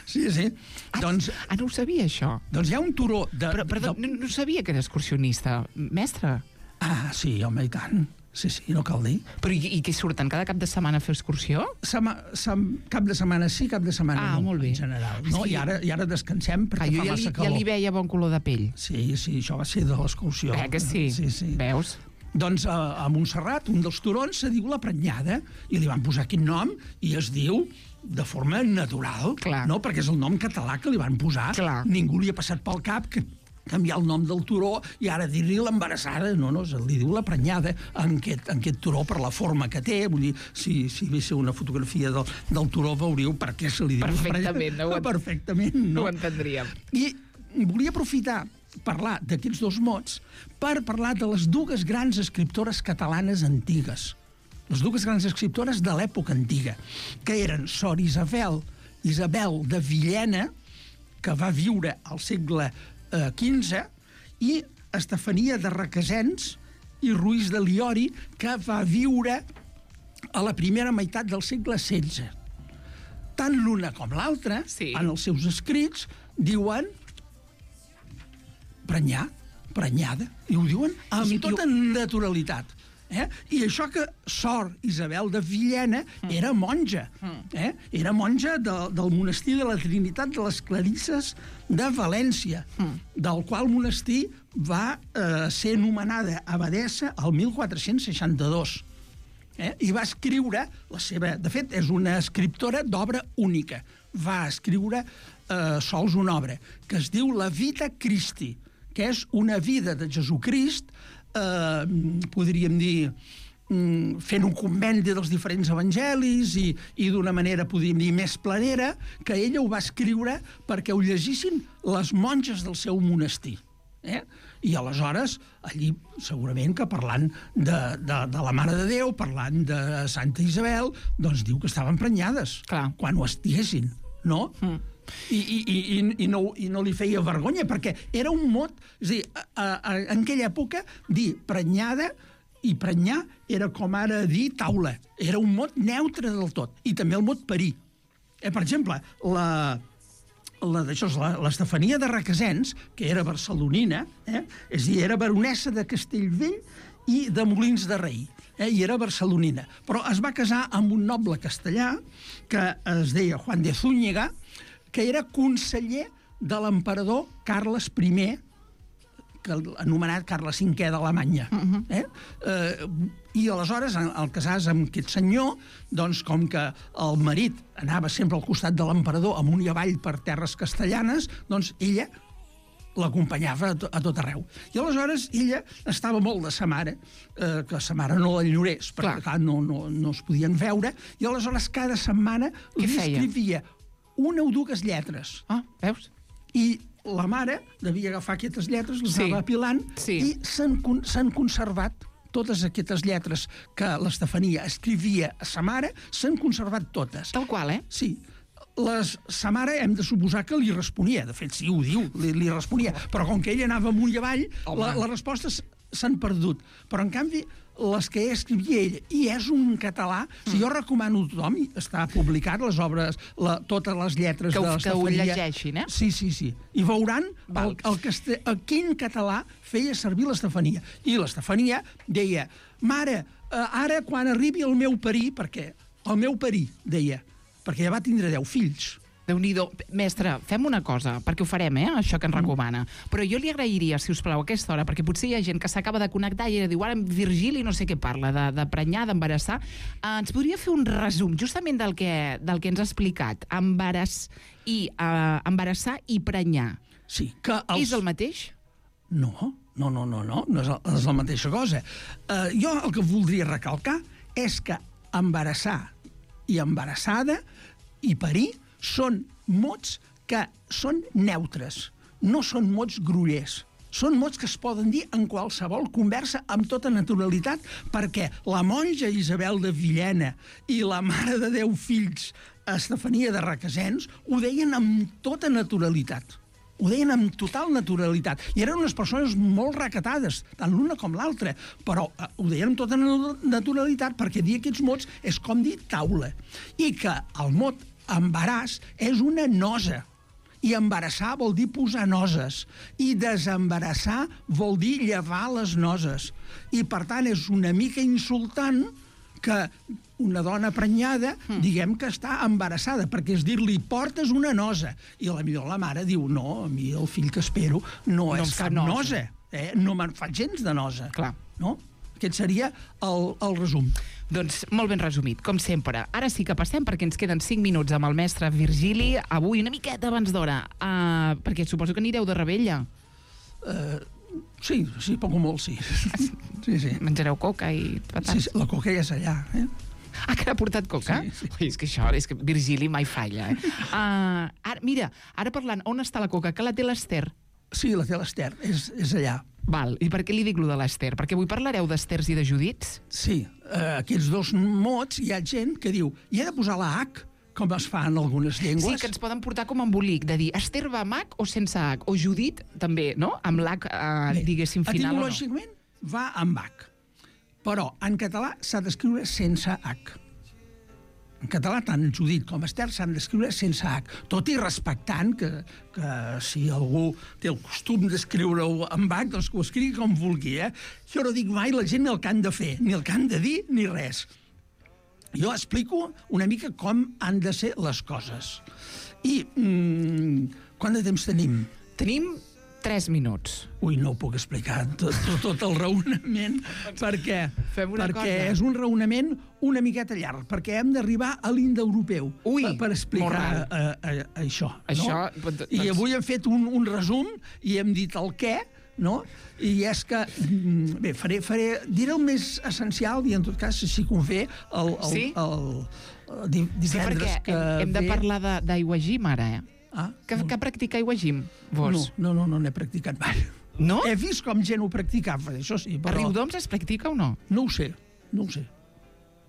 Sí, sí. Ah, doncs, ah, no ho sabia, això. doncs hi ha un turó de... Però, perdó, de... no, no sabia que era excursionista. Mestre? Ah, sí, home, i tant. Sí, sí, no cal dir. Però i, i què surten cada cap de setmana a fer excursió? Sema, sem, cap de setmana sí, cap de setmana Ah, no, molt bé. en general. No? Sí. I, ara, I ara descansem perquè Ah, jo fa ja massa li, calor. ja li veia bon color de pell. Sí, sí, això va ser de l'excursió. Eh, que sí? Sí, sí. Veus? Doncs a, a Montserrat, un dels turons se diu la Prenyada, i li van posar aquest nom, i es diu de forma natural, Clar. no? Perquè és el nom català que li van posar. Clar. Ningú li ha passat pel cap que canviar el nom del turó i ara dir-li l'embarassada. No, no, se li diu la Prenyada en aquest, en aquest turó per la forma que té. Vull dir, si, si veieu una fotografia del, del turó veuríeu per què se li diu Perfectament, la Prenyada. no ho, Perfectament, no? no ho entendríem. I volia aprofitar parlar d'aquests dos mots per parlar de les dues grans escriptores catalanes antigues. Les dues grans escriptores de l'època antiga, que eren Sor Isabel, Isabel de Villena, que va viure al segle quinze, i Estefania de Requesens i Ruiz de Liori, que va viure a la primera meitat del segle setze. Tant l'una com l'altra, sí. en els seus escrits, diuen prenyar, prenyada, i ho diuen amb I, tota jo... naturalitat. Eh? I això que Sor Isabel de Villena mm. era monja, eh? era monja de, del monestir de la Trinitat de les Clarisses de València, mm. del qual monestir va eh, ser nomenada abadessa el mil quatre-cents seixanta-dos. Eh? I va escriure la seva... De fet, és una escriptora d'obra única. Va escriure eh, sols una obra que es diu La Vita Christi, que és una vida de Jesucrist, eh, podríem dir, fent un compendi dels diferents evangelis i, i d'una manera, podríem dir, més planera, que ella ho va escriure perquè ho llegissin les monges del seu monestir. Eh? I aleshores, allí, segurament que parlant de, de, de la Mare de Déu, parlant de Santa Isabel, doncs diu que estaven prenyades, Clar. quan ho estiguessin, no? Mm. I, i, i, i, no, i no li feia vergonya, perquè era un mot... És a dir, a, a, en aquella època, dir prenyada i prenyar era com ara dir taula. Era un mot neutre del tot. I també el mot parir. Eh, per exemple, la... l'Estefania de Requesens, que era barcelonina, eh? és a dir, era baronessa de Castellvell i de Molins de Rei, eh? i era barcelonina. Però es va casar amb un noble castellà que es deia Juan de Zúñiga, que era conseller de l'emperador Carles I, que anomenat Carles cinquè d'Alemanya. Uh-huh. eh? Eh, I aleshores, al casar-se amb aquest senyor, doncs, com que el marit anava sempre al costat de l'emperador amunt i avall per terres castellanes, doncs ella l'acompanyava a, to a tot arreu. I aleshores ella estava molt de sa mare, eh, que sa mare no l'enyorés, perquè clar, no, no, no es podien veure, i aleshores cada setmana li escrivia una o dues lletres. Ah, veus? I la mare devia agafar aquestes lletres, les sí. anava apilant, sí. i s'han conservat totes aquestes lletres que l'Estefania escrivia a sa mare, s'han conservat totes. Tal qual, eh? Sí. Les, sa mare hem de suposar que li responia. De fet, sí, ho diu, li, li responia. Però com que ella anava amunt i avall, la, les respostes s'han perdut. Però, en canvi, les que escrivia ella, i és un català, mm. si jo recomano a tothom, està publicat les obres, la, totes les lletres que, de l'Estefania. Que ho llegeixin, eh? Sí, sí, sí. I veuran el, el, el, el quin català feia servir l'Estefania. I l'Estefania deia, mare, eh, ara quan arribi el meu parir, perquè el meu parir, deia, perquè ja va tindre deu fills. Déu-n'hi-do. Mestre, fem una cosa, perquè ho farem, eh, això que ens recomana. Però jo li agrairia, si us plau, a aquesta hora, perquè potser hi ha gent que s'acaba de connectar i diu, ara Virgili no sé què parla, de, de prenyar, d'embarassar. Eh, ens podria fer un resum justament del que, del que ens ha explicat. Embarass i, eh, embarassar i prenyar. Sí, que els... És el mateix? No, no, no, no, no, no és, el, és la mateixa cosa. Eh, jo el que voldria recalcar és que embarassar i embarassada i parir són mots que són neutres, no són mots grollers. Són mots que es poden dir en qualsevol conversa amb tota naturalitat, perquè la monja Isabel de Villena i la Mare de Déu Fills, Estefania de Requesens, ho deien amb tota naturalitat. Ho deien amb total naturalitat. I eren unes persones molt recatades, tant l'una com l'altra, però eh, ho deien amb tota naturalitat perquè dir aquests mots és com dir taula. I que el mot embaràs és una nosa. I embarassar vol dir posar noses. I desembarassar vol dir llevar les noses. I, per tant, és una mica insultant que una dona prenyada, mm. diguem que està embarassada, perquè és dir-li, portes una nosa. I la millor la mare diu, no, a mi el fill que espero no, no és cap nosa. nosa. Eh? No me'n fa gens de nosa. Clar. No? Aquest seria el, el resum. Doncs molt ben resumit, com sempre. Ara sí que passem, perquè ens queden cinc minuts amb el mestre Virgili, avui una miqueta abans d'hora, uh, perquè suposo que anireu de rebella. Uh, sí, sí, poc o molt, sí. sí, sí. Menjareu coca i patats. Sí, sí, la coca ja és allà, eh? Ah, que n'ha portat coca? Sí, sí. Ui, és que això, és que Virgili mai falla, eh? uh, ara, mira, ara parlant, on està la coca? Que la té l'Ester. Sí, la té l'Ester, és, és allà. Val. I per què li dic lo de l'Ester? Perquè avui parlareu d'Esters i de Judits? Sí, eh, aquests dos mots, hi ha gent que diu hi ha de posar la H, com es fa en algunes llengües. Sí, que ens poden portar com embolic, de dir Ester va amb H o sense H, o Judit també, no? Amb l'H, eh, diguéssim, final o no. Etimològicament va amb H, però en català s'ha d'escriure sense H. En català, tant Judit com Ester s'han d'escriure sense H, tot i respectant que, que si algú té el costum d'escriure-ho amb H, doncs que ho escrigui com vulgui, eh? Jo no dic mai la gent ni el que han de fer, ni el que han de dir, ni res. Jo explico una mica com han de ser les coses. I mmm, quant de temps tenim? Tenim tres minuts. Ui, no ho puc explicar tot, tot, tot el raonament, perquè, Fem una perquè cosa. és un raonament una miqueta llarg, perquè hem d'arribar a l'indoeuropeu Ui, per, per explicar molt a, a, a això. Això, No? doncs- I avui hem fet un, un resum i hem dit el què, no? I és que, mm, bé, faré, faré, diré el més essencial i en tot cas, si convé, el, el, Sí? el, el, di- Sí, perquè divendres que hem, hem de ve... parlar de- d'aigua gym ara, eh? Ah, Que, que practica aigua gym, vos? no, no, no, no n'he practicat mai. No? He vist com gent ho practicava, això sí, A però... Riudoms es practica o no? No ho sé, no ho sé.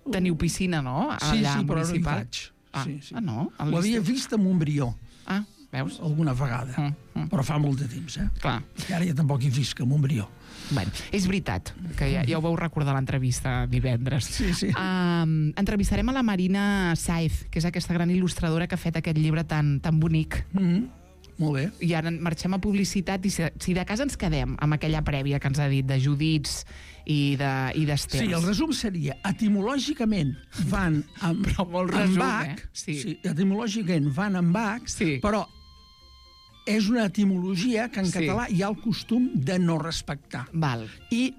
Teniu piscina, no? Sí, Allà sí, però no hi municipal. vaig. Ah, Sí, sí. ah no? A Ho havia l'estiu. vist a Montbrió, Ah, veus? alguna vegada, Mm, mm. però fa molt de temps, eh? Clar. I ara ja tampoc hi visc a Montbrió. Bueno, és veritat, que ja, ja ho vau recordar a l'entrevista divendres. Sí, sí. Um, entrevistarem a la Marina Saiz, que és aquesta gran il·lustradora que ha fet aquest llibre tan, tan bonic. Mm -hmm. Molt bé. I ara marxem a publicitat i si, si de casa ens quedem amb aquella prèvia que ens ha dit de Judits i de i d'Esters. Sí, el resum seria, etimològicament van amb, Però molt amb resum, H, eh? Sí. sí, etimològicament van amb H, Sí. però és una etimologia que en Sí. català hi ha el costum de no respectar. Val. I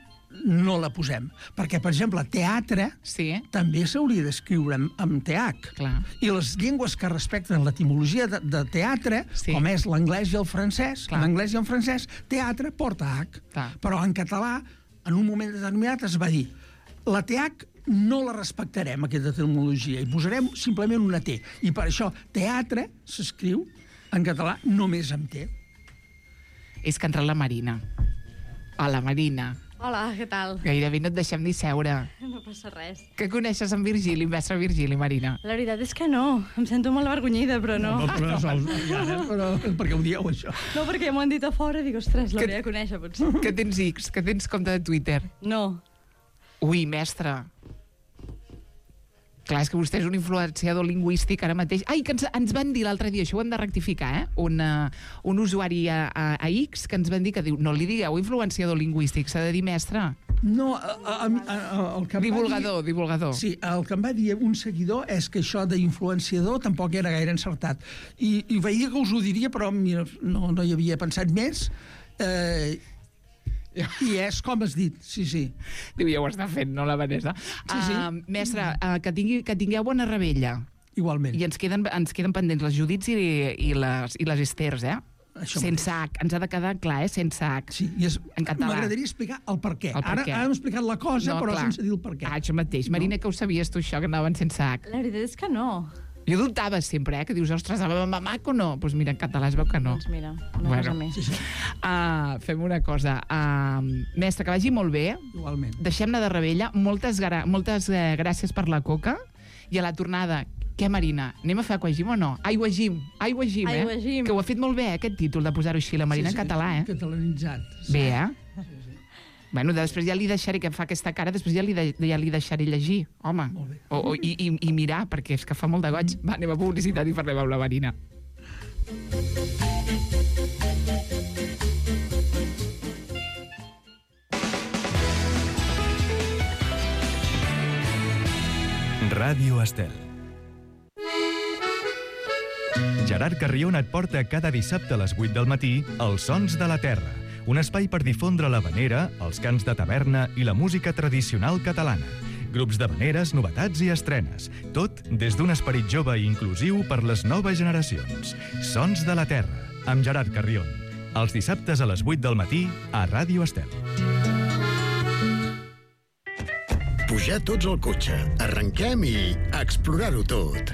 no la posem. Perquè, per exemple, teatre Sí, també s'hauria d'escriure amb, amb T H. clar. I les llengües que respecten l'etimologia de, de teatre, Sí. com és l'anglès i el francès, Clar. l'anglès i el francès, teatre porta H. Clar. Però en català, en un moment determinat, es va dir la T H no la respectarem, aquesta etimologia, i posarem simplement una T. I per això teatre s'escriu en català només amb T. És que ha entrat la Marina. Hola, Marina. Hola, què tal? Gairebé no et deixem ni seure. No passa res. Que coneixes en Virgili, en mestre Virgili, Marina? La veritat és que no. Em sento molt avergonyida, però no. No, però, sols, ja, però perquè ho dieu, això. No, perquè ja m'ho han dit a fora i dic, ostres, l'hauria de conèixer, potser. Que tens X, que tens compte de Twitter. No. Ui, mestre. Clar, és que vostè és un influenciador lingüístic ara mateix. Ai, que ens, ens van dir l'altre dia, això ho hem de rectificar, eh? Un, uh, un usuari a, a, a X que ens van dir que diu, no li digueu influenciador lingüístic, s'ha de dir mestre. No, a, a, a, a, el que em Divulgador, va dir, divulgador. Sí, el que em va dir un seguidor és que això d'influenciador tampoc era gaire encertat. I, i veia que us ho diria, però mira, no, no hi havia pensat més. Eh, I és com has dit, sí, sí. Diu, ja ho està fent, no, la Vanessa? Sí, sí. Uh, mestre, uh, que, tingui, que tingueu bona rebella. Igualment. I ens queden, ens queden pendents les Judits i, i, les, i les Esters, eh? Això sense H. Ens ha de quedar clar, eh? Sense H. Sí, i és, en català. m'agradaria explicar el per què. El per Ara, què. ara hem explicat la cosa, No, però clar. sense dir el per què. Ah, això mateix. Marina, que ho sabies tu, això, que anaven sense H? La veritat és que no. Jo dubtava sempre, eh? Que dius, ostres, amb H o no? Doncs pues mira, en català es veu que no. Doncs mira, una Bueno. cosa més. Sí, sí, Uh, fem una cosa. Uh, mestre, que vagi molt bé. igualment. Deixem-ne de rebella. Moltes, gra moltes eh, gràcies per la coca. I a la tornada, què, Marina? Anem a fer aquagim o no? Aigua gim, aigua gim, eh? Aigua gim. Que ho ha fet molt bé, eh, aquest títol, de posar-ho així, la Marina, sí, sí, en català, eh? Catalanitzat. Bé, eh? Bueno, després ja li deixaré, que fa aquesta cara, després ja li, de, ja li deixaré llegir, home. Molt bé. O, o, i, i, I mirar, perquè és que fa molt de goig. Va, anem a publicitat i parlem amb la Marina. Ràdio Estel. Gerard Carrion et porta cada dissabte a les vuit del matí Els Sons de la Terra, un espai per difondre l'havanera, els cants de taverna i la música tradicional catalana. Grups d'havaneres, novetats i estrenes. Tot des d'un esperit jove i inclusiu per les noves generacions. Sons de la Terra, amb Gerard Carrion. Els dissabtes a les vuit del matí a Ràdio Estel. Pujar tots al cotxe, arrenquem i explorar-ho tot.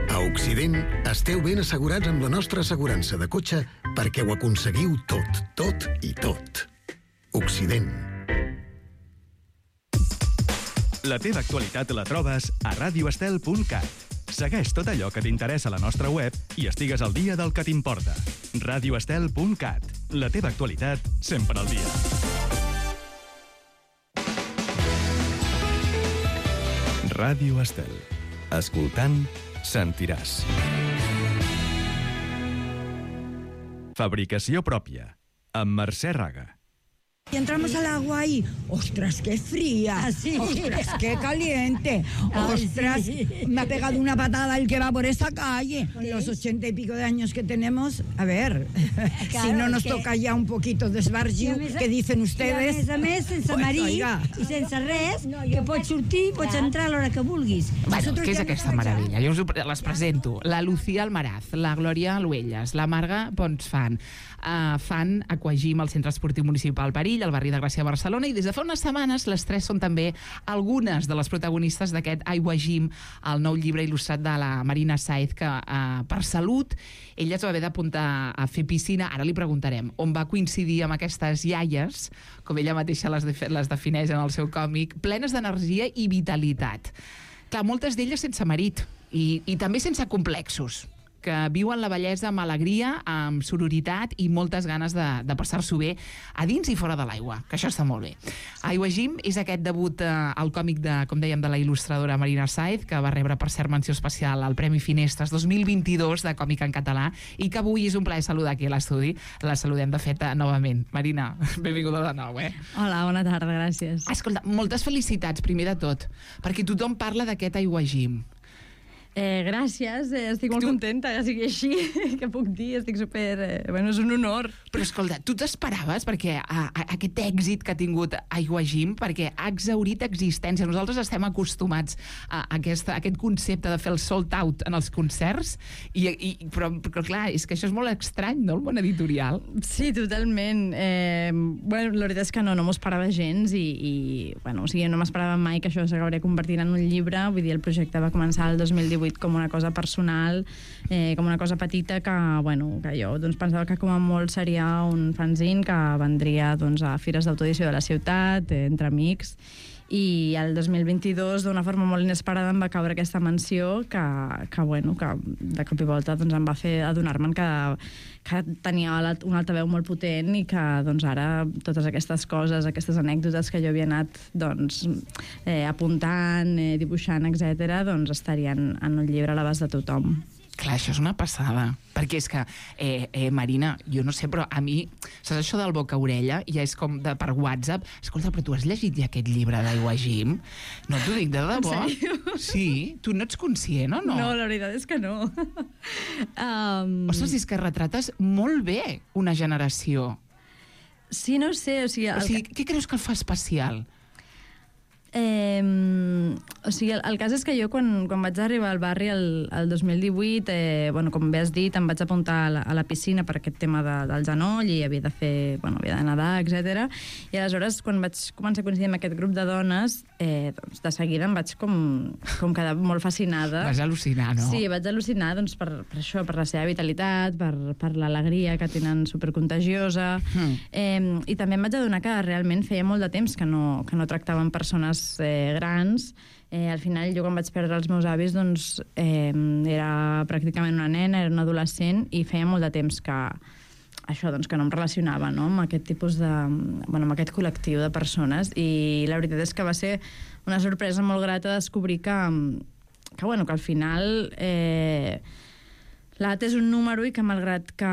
A Occident esteu ben assegurats amb la nostra assegurança de cotxe perquè ho aconseguiu tot, tot i tot. Occident. La teva actualitat la trobes a radio estel punt cat. Segueix tot allò que t'interessa a la nostra web i estigues al dia del que t'importa. radio estel punt cat. La teva actualitat sempre al dia. Ràdio Estel. Escoltant, sentiràs. Fabricació pròpia. Amb Mercè Raga. Y entramos al agua y, ¡ostras, qué fría! Sí. ¡Ostras, qué caliente! Ay, ¡Ostras, sí. me ha pegado una patada el que va por esa calle! Con los ochenta y pico de años que tenemos, a ver, Claro, si no nos que- toca ya un poquito d'esbargiu, I a més- ¿qué dicen I ustedes? a més a més, sense Pues, marit oiga. i sense res, que pots sortir, pots entrar a l'hora que vulguis. Bueno, Nosotros què és ya aquesta nos vamos meravella? Jo us ho pre- les presento. La Lucía Almaraz, la Glòria Aluelles, la Marga Ponsfan, uh, fan Aquagym al Centre Esportiu Municipal Perill, al barri de Gràcia, Barcelona, i des de fa unes setmanes les tres són també algunes de les protagonistes d'aquest Aigua Gym, el nou llibre il·lustrat de la Marina Saez, que uh, per salut ella es va haver d'apuntar a fer piscina. Ara li preguntarem on va coincidir amb aquestes iaies, com ella mateixa les, de, les defineix en el seu còmic, plenes d'energia i vitalitat. Clar, moltes d'elles sense marit i, i també sense complexos, que viuen la bellesa amb alegria, amb sororitat i moltes ganes de, de passar-s'ho bé a dins i fora de l'aigua, que això està molt bé. Aigua Gym és aquest debut eh, al còmic de, com dèiem, de la il·lustradora Marina Saez, que va rebre per cert menció especial al Premi Finestres dos mil vint-i-dos de còmic en català i que avui és un plaer saludar aquí a l'estudi. La saludem de fet novament. Marina, benvinguda de nou, eh? Hola, bona tarda, gràcies. Escolta, moltes felicitats, primer de tot, perquè tothom parla d'aquest Aigua Gym. Eh, gràcies, eh, estic molt contenta que sigui així, que puc dir, estic super... Eh, bueno, és un honor. Però escolta, tu t'esperaves perquè a, a, aquest èxit que ha tingut Aigua Gym, perquè ha exhaurit existència. Nosaltres estem acostumats a, aquesta, a aquest concepte de fer el sold out en els concerts, i, i, però, però clar, és que això és molt estrany, no?, el món editorial. Sí, totalment. Eh, bueno, la veritat és que no, no m'ho esperava gens i, i bueno, o sigui, no m'esperava mai que això s'acabaria convertint en un llibre. Vull dir, el projecte va començar el dos mil divuit com una cosa personal, eh, com una cosa petita que, bueno, que jo doncs, pensava que com a molt seria un fanzine que vendria doncs, a fires d'autoedició de la ciutat, eh, entre amics, i el dos mil vint-i-dos d'una forma molt inesperada em va caure aquesta menció que, que, bueno, que de cop i volta doncs, em va fer adonar-me'n que, que tenia una altaveu molt potent i que doncs, ara totes aquestes coses, aquestes anècdotes que jo havia anat doncs, eh, apuntant, eh, dibuixant, etcètera, doncs estarien en un llibre a l'abast de tothom. Clar, això és una passada, perquè és que, eh, eh, Marina, jo no sé, però a mi, saps això del boca-orella? Ja és com de, per WhatsApp. Escolta, però tu has llegit ja aquest llibre d'Aigua Gym? No t'ho dic de debò. En sèrio? Sí? Tu no ets conscient o no? No, la veritat és que no. um... Ostres, és que retrates molt bé una generació. Sí, no sé, o sigui... O sigui, què creus que el fa especial? Eh, o sigui, el, el cas és que jo quan, quan vaig arribar al barri el, el dos mil divuit, eh, bueno, com bé has dit, em vaig apuntar a la, a la piscina per aquest tema de, del genoll i havia de fer, bueno, havia de nedar, etcètera. I aleshores, quan vaig començar a coincidir amb aquest grup de dones, eh, doncs, de seguida em vaig com, com quedar molt fascinada. Vas al·lucinar, no? Sí, vaig al·lucinar doncs, per, per això, per la seva vitalitat, per, per l'alegria que tenen supercontagiosa. Mm. Eh, I també em vaig adonar que realment feia molt de temps que no, que no tractaven persones eh, grans. Eh, al final, jo quan vaig perdre els meus avis, doncs, eh, era pràcticament una nena, era una adolescent, i feia molt de temps que això, doncs, que no em relacionava, no?, amb aquest tipus de... bueno, amb aquest col·lectiu de persones, i la veritat és que va ser una sorpresa molt grata descobrir que, que, bueno, que al final... Eh, l'edat és un número i que, malgrat que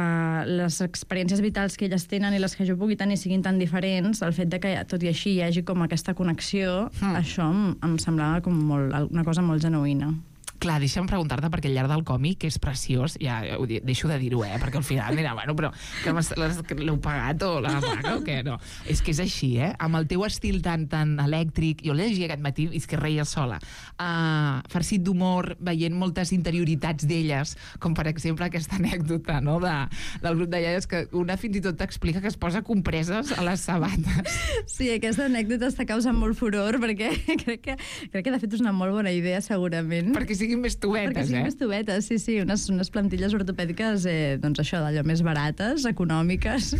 les experiències vitals que elles tenen i les que jo pugui tenir siguin tan diferents, el fet de que, tot i així, hi hagi com aquesta connexió, mm. això em, em semblava com molt, una cosa molt genuïna. Clar, deixa'm preguntar-te, perquè al llarg del còmic, que és preciós, ja ho di- deixo de dir-ho, eh? Perquè al final, mira, bueno, però que m'has- l'has- que l'heu pagat o la paga o què? No. És que és així, eh? Amb el teu estil tan, tan elèctric, jo l'he llegit aquest matí i és que reia sola. Uh, farcit d'humor, veient moltes interioritats d'elles, com per exemple aquesta anècdota, no?, de, del grup de iaies, que una fins i tot t'explica que es posa compreses a les sabates. Sí, aquesta anècdota està causant molt furor, perquè crec que, crec que de fet és una molt bona idea, segurament. Perquè sigui siguin més tubetes, perquè siguin eh? més tubetes, sí, sí, unes, unes plantilles ortopèdiques, eh, doncs això, d'allò més barates, econòmiques.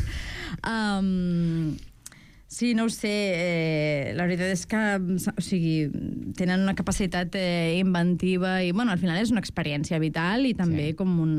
Um, sí, no ho sé, eh, la veritat és que, o sigui, tenen una capacitat eh, inventiva i, bueno, al final és una experiència vital i també sí. com un,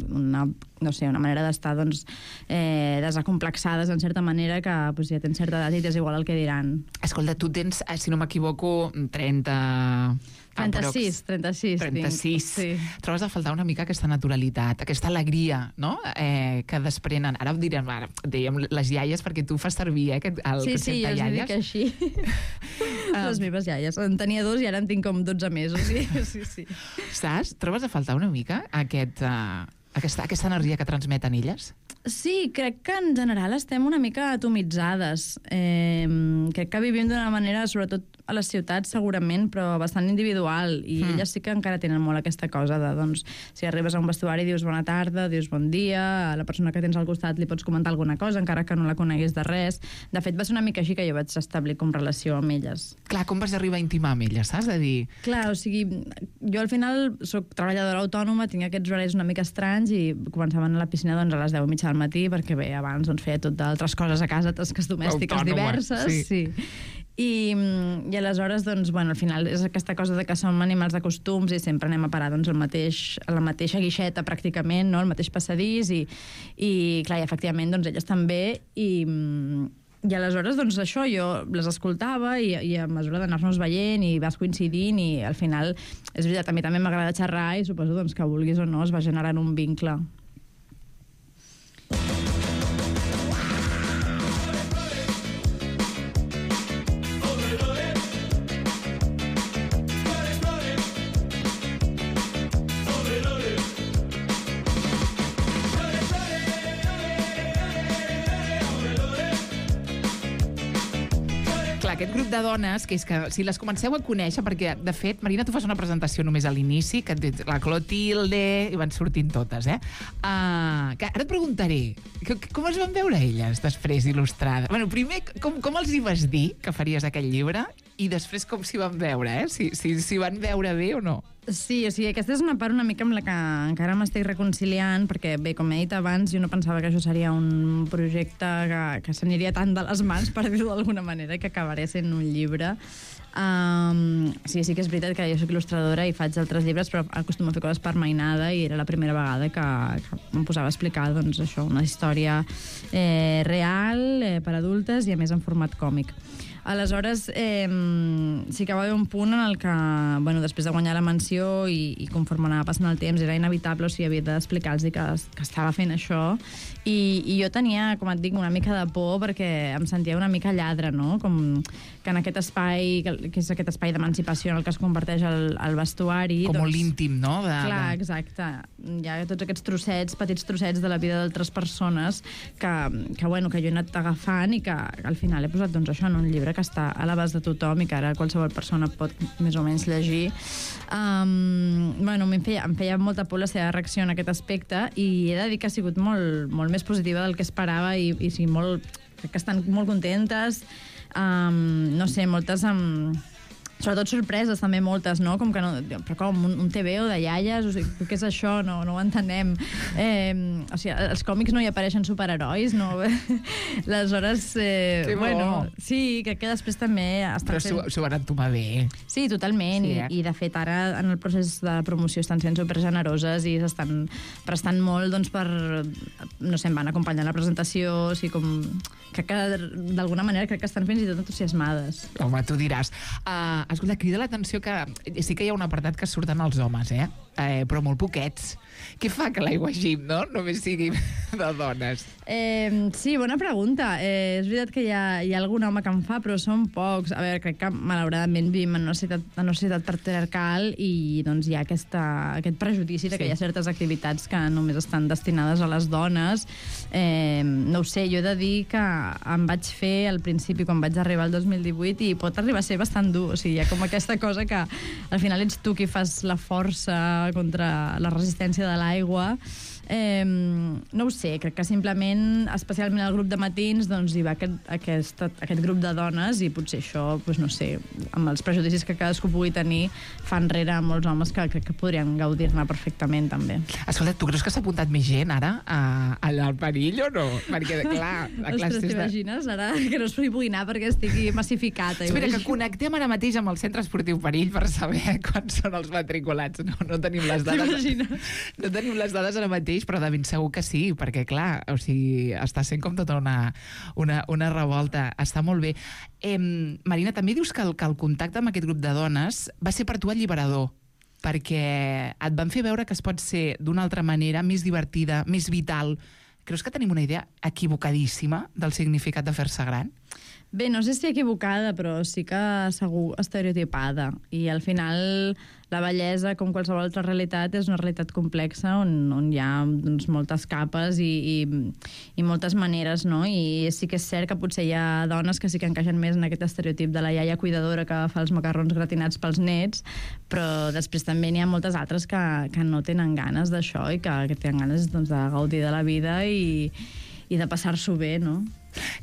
una, no sé, una manera d'estar, doncs, eh, desacomplexades, en certa manera, que pues, ja tens certa edat i t'és igual el que diran. Escolta, tu tens, si no m'equivoco, trenta... trenta-sis, trenta-sis. trenta-sis. Sí. Trobes a faltar una mica aquesta naturalitat, aquesta alegria, no?, eh, que desprenen. Ara ho direm, ara, dèiem les iaies, perquè tu fas servir, eh, aquest, el sí, concepte sí, jo iaies. Sí, sí, jo dic així. Les meves iaies. En tenia dos i ara en tinc com dotze mesos. Sí, sí, sí. Saps? Trobes a faltar una mica aquest, uh, aquesta, aquesta energia que transmeten elles? Sí, crec que en general estem una mica atomitzades. Eh, crec que vivim d'una manera, sobretot a les ciutats segurament, però bastant individual, i mm. elles sí que encara tenen molt aquesta cosa de, doncs, si arribes a un vestuari dius bona tarda, dius bon dia, a la persona que tens al costat li pots comentar alguna cosa, encara que no la coneguis de res. De fet, va ser una mica així que jo vaig establir com relació amb elles. Clar, com vas arribar a intimar amb elles, saps? De dir... Clar, o sigui, jo al final soc treballadora autònoma, tinc aquests horaris una mica estranys i començava a anar a la piscina doncs, a les deu i mitja del matí, perquè bé, abans doncs, feia tot d'altres coses a casa, tasques domèstiques autònoma, diverses. Sí. sí. I, i aleshores, doncs, bueno, al final és aquesta cosa de que som animals de costums i sempre anem a parar doncs, el mateix, a la mateixa guixeta pràcticament, no? El mateix passadís i, i clar, i efectivament doncs, elles també i, i aleshores doncs, això jo les escoltava i, i a mesura d'anar-nos veient i vas coincidint i al final, és veritat, a mi també m'agrada xerrar i suposo doncs, que vulguis o no es va generant un vincle. Aquest grup de dones, que és que si les comenceu a conèixer, perquè, de fet, Marina, tu fas una presentació només a l'inici, que la Clotilde, i van sortint totes, eh? Uh, que ara et preguntaré, que, com es van veure elles després il·lustrades? Bueno, primer, com, com els hi vas dir que faries aquest llibre? I després com s'hi van veure, eh? Si, si, si van veure bé o no. Sí, o sigui, aquesta és una part una mica amb la que encara m'estic reconciliant, perquè, bé, com he dit abans, jo no pensava que això seria un projecte que, que s'aniria tant de les mans, per dir-ho d'alguna manera, que acabaré sent un llibre. Um, sí, sí que és veritat que jo soc il·lustradora i faig altres llibres, però acostumo a fer coses per mainada i era la primera vegada que, que em posava a explicar, doncs, això, una història eh, real, eh, per adultes i, a més, en format còmic. Aleshores, eh, sí que va haver un punt en el que, bueno, després de guanyar la menció i, i conforme anava passant el temps, era inevitable, o sigui, havia d'explicar-los que, que estava fent això. I, I jo tenia, com et dic, una mica de por perquè em sentia una mica lladre, no? Com que en aquest espai, que és aquest espai d'emancipació en el que es converteix el, el vestuari... Com doncs, molt íntim, no? De, clar, de... exacte. Hi ha tots aquests trossets, petits trossets de la vida d'altres persones que, que, bueno, que jo he anat agafant i que al final he posat, doncs, això en un llibre que està a l'abast de tothom i que ara qualsevol persona pot més o menys llegir. Um, bueno, em feia, em feia molta por la seva reacció en aquest aspecte i he de dir que ha sigut molt, molt més positiva del que esperava i, i sí, molt, crec que estan molt contentes. Um, no sé, moltes amb... Sobretot sorpreses, també moltes, no? Com que no... Però com, un, un T V O de iaies? O sigui, què és això? No, no ho entenem. Eh, o sigui, als còmics no hi apareixen superherois, no? Aleshores, eh, bueno... Sí, crec que després també... Però s'ho fent... van entomar bé. Sí, totalment. Sí, eh? I, I, de fet, ara, en el procés de promoció estan sent supergeneroses i s'estan prestant molt, doncs, per... No sé, em van acompanyar la presentació, o sigui, com... Crec que, d'alguna manera, crec que estan fins i tot entusiasmades. Home, tu diràs... Uh, escolta, crida l'atenció que sí que hi ha un apartat que surten els homes, eh? eh però molt poquets. Què fa que l'Aigua Gym, no? Només sigui de dones. Eh, sí, bona pregunta. Eh, és veritat que hi ha, hi ha algun home que en fa, però són pocs. A veure, crec que malauradament vivim en una societat, en una societat patriarcal i doncs hi ha aquesta, aquest prejudici de que sí. Hi ha certes activitats que només estan destinades a les dones. Eh, no ho sé, jo he de dir que em vaig fer al principi, quan vaig arribar al dos mil divuit, i pot arribar a ser bastant dur. O sigui, hi ha com aquesta cosa que al final ets tu qui fas la força contra la resistència de l'aigua. Eh, no ho sé, crec que simplement, especialment al grup de matins, doncs hi va aquest, aquest, aquest grup de dones i potser això, doncs no sé, amb els prejudicis que cadascú pugui tenir, fa enrere molts homes que crec que podrien gaudir-ne perfectament, també. Escolta, tu creus que s'ha apuntat més gent ara a, allà al perill o no? Perquè, clar... Ostres, t'imagines? Ara que no es pugui anar perquè estigui massificat. Eh? Espera, que connectem ara mateix amb el Centre Esportiu Perill per saber quants són els matriculats. No, no tenim les dades. No tenim les dades ara mateix, però de ben segur que sí, perquè, clar, o sigui, està sent com tota una, una, una revolta. Està molt bé. Eh, Marina, també dius que el, que el contacte amb aquest grup de dones va ser per tu alliberador, perquè et van fer veure que es pot ser d'una altra manera, més divertida, més vital. Creus que tenim una idea equivocadíssima del significat de fer-se gran? Bé, no sé si equivocada, però sí que segur estereotipada. I al final la bellesa, com qualsevol altra realitat, és una realitat complexa on, on hi ha doncs, moltes capes i, i, i moltes maneres, no? I sí que és cert que potser hi ha dones que sí que encaixen més en aquest estereotip de la iaia cuidadora que fa els macarrons gratinats pels nets, però després també n'hi ha moltes altres que, que no tenen ganes d'això i que, que tenen ganes doncs, de gaudir de la vida i, i de passar-s'ho bé, no?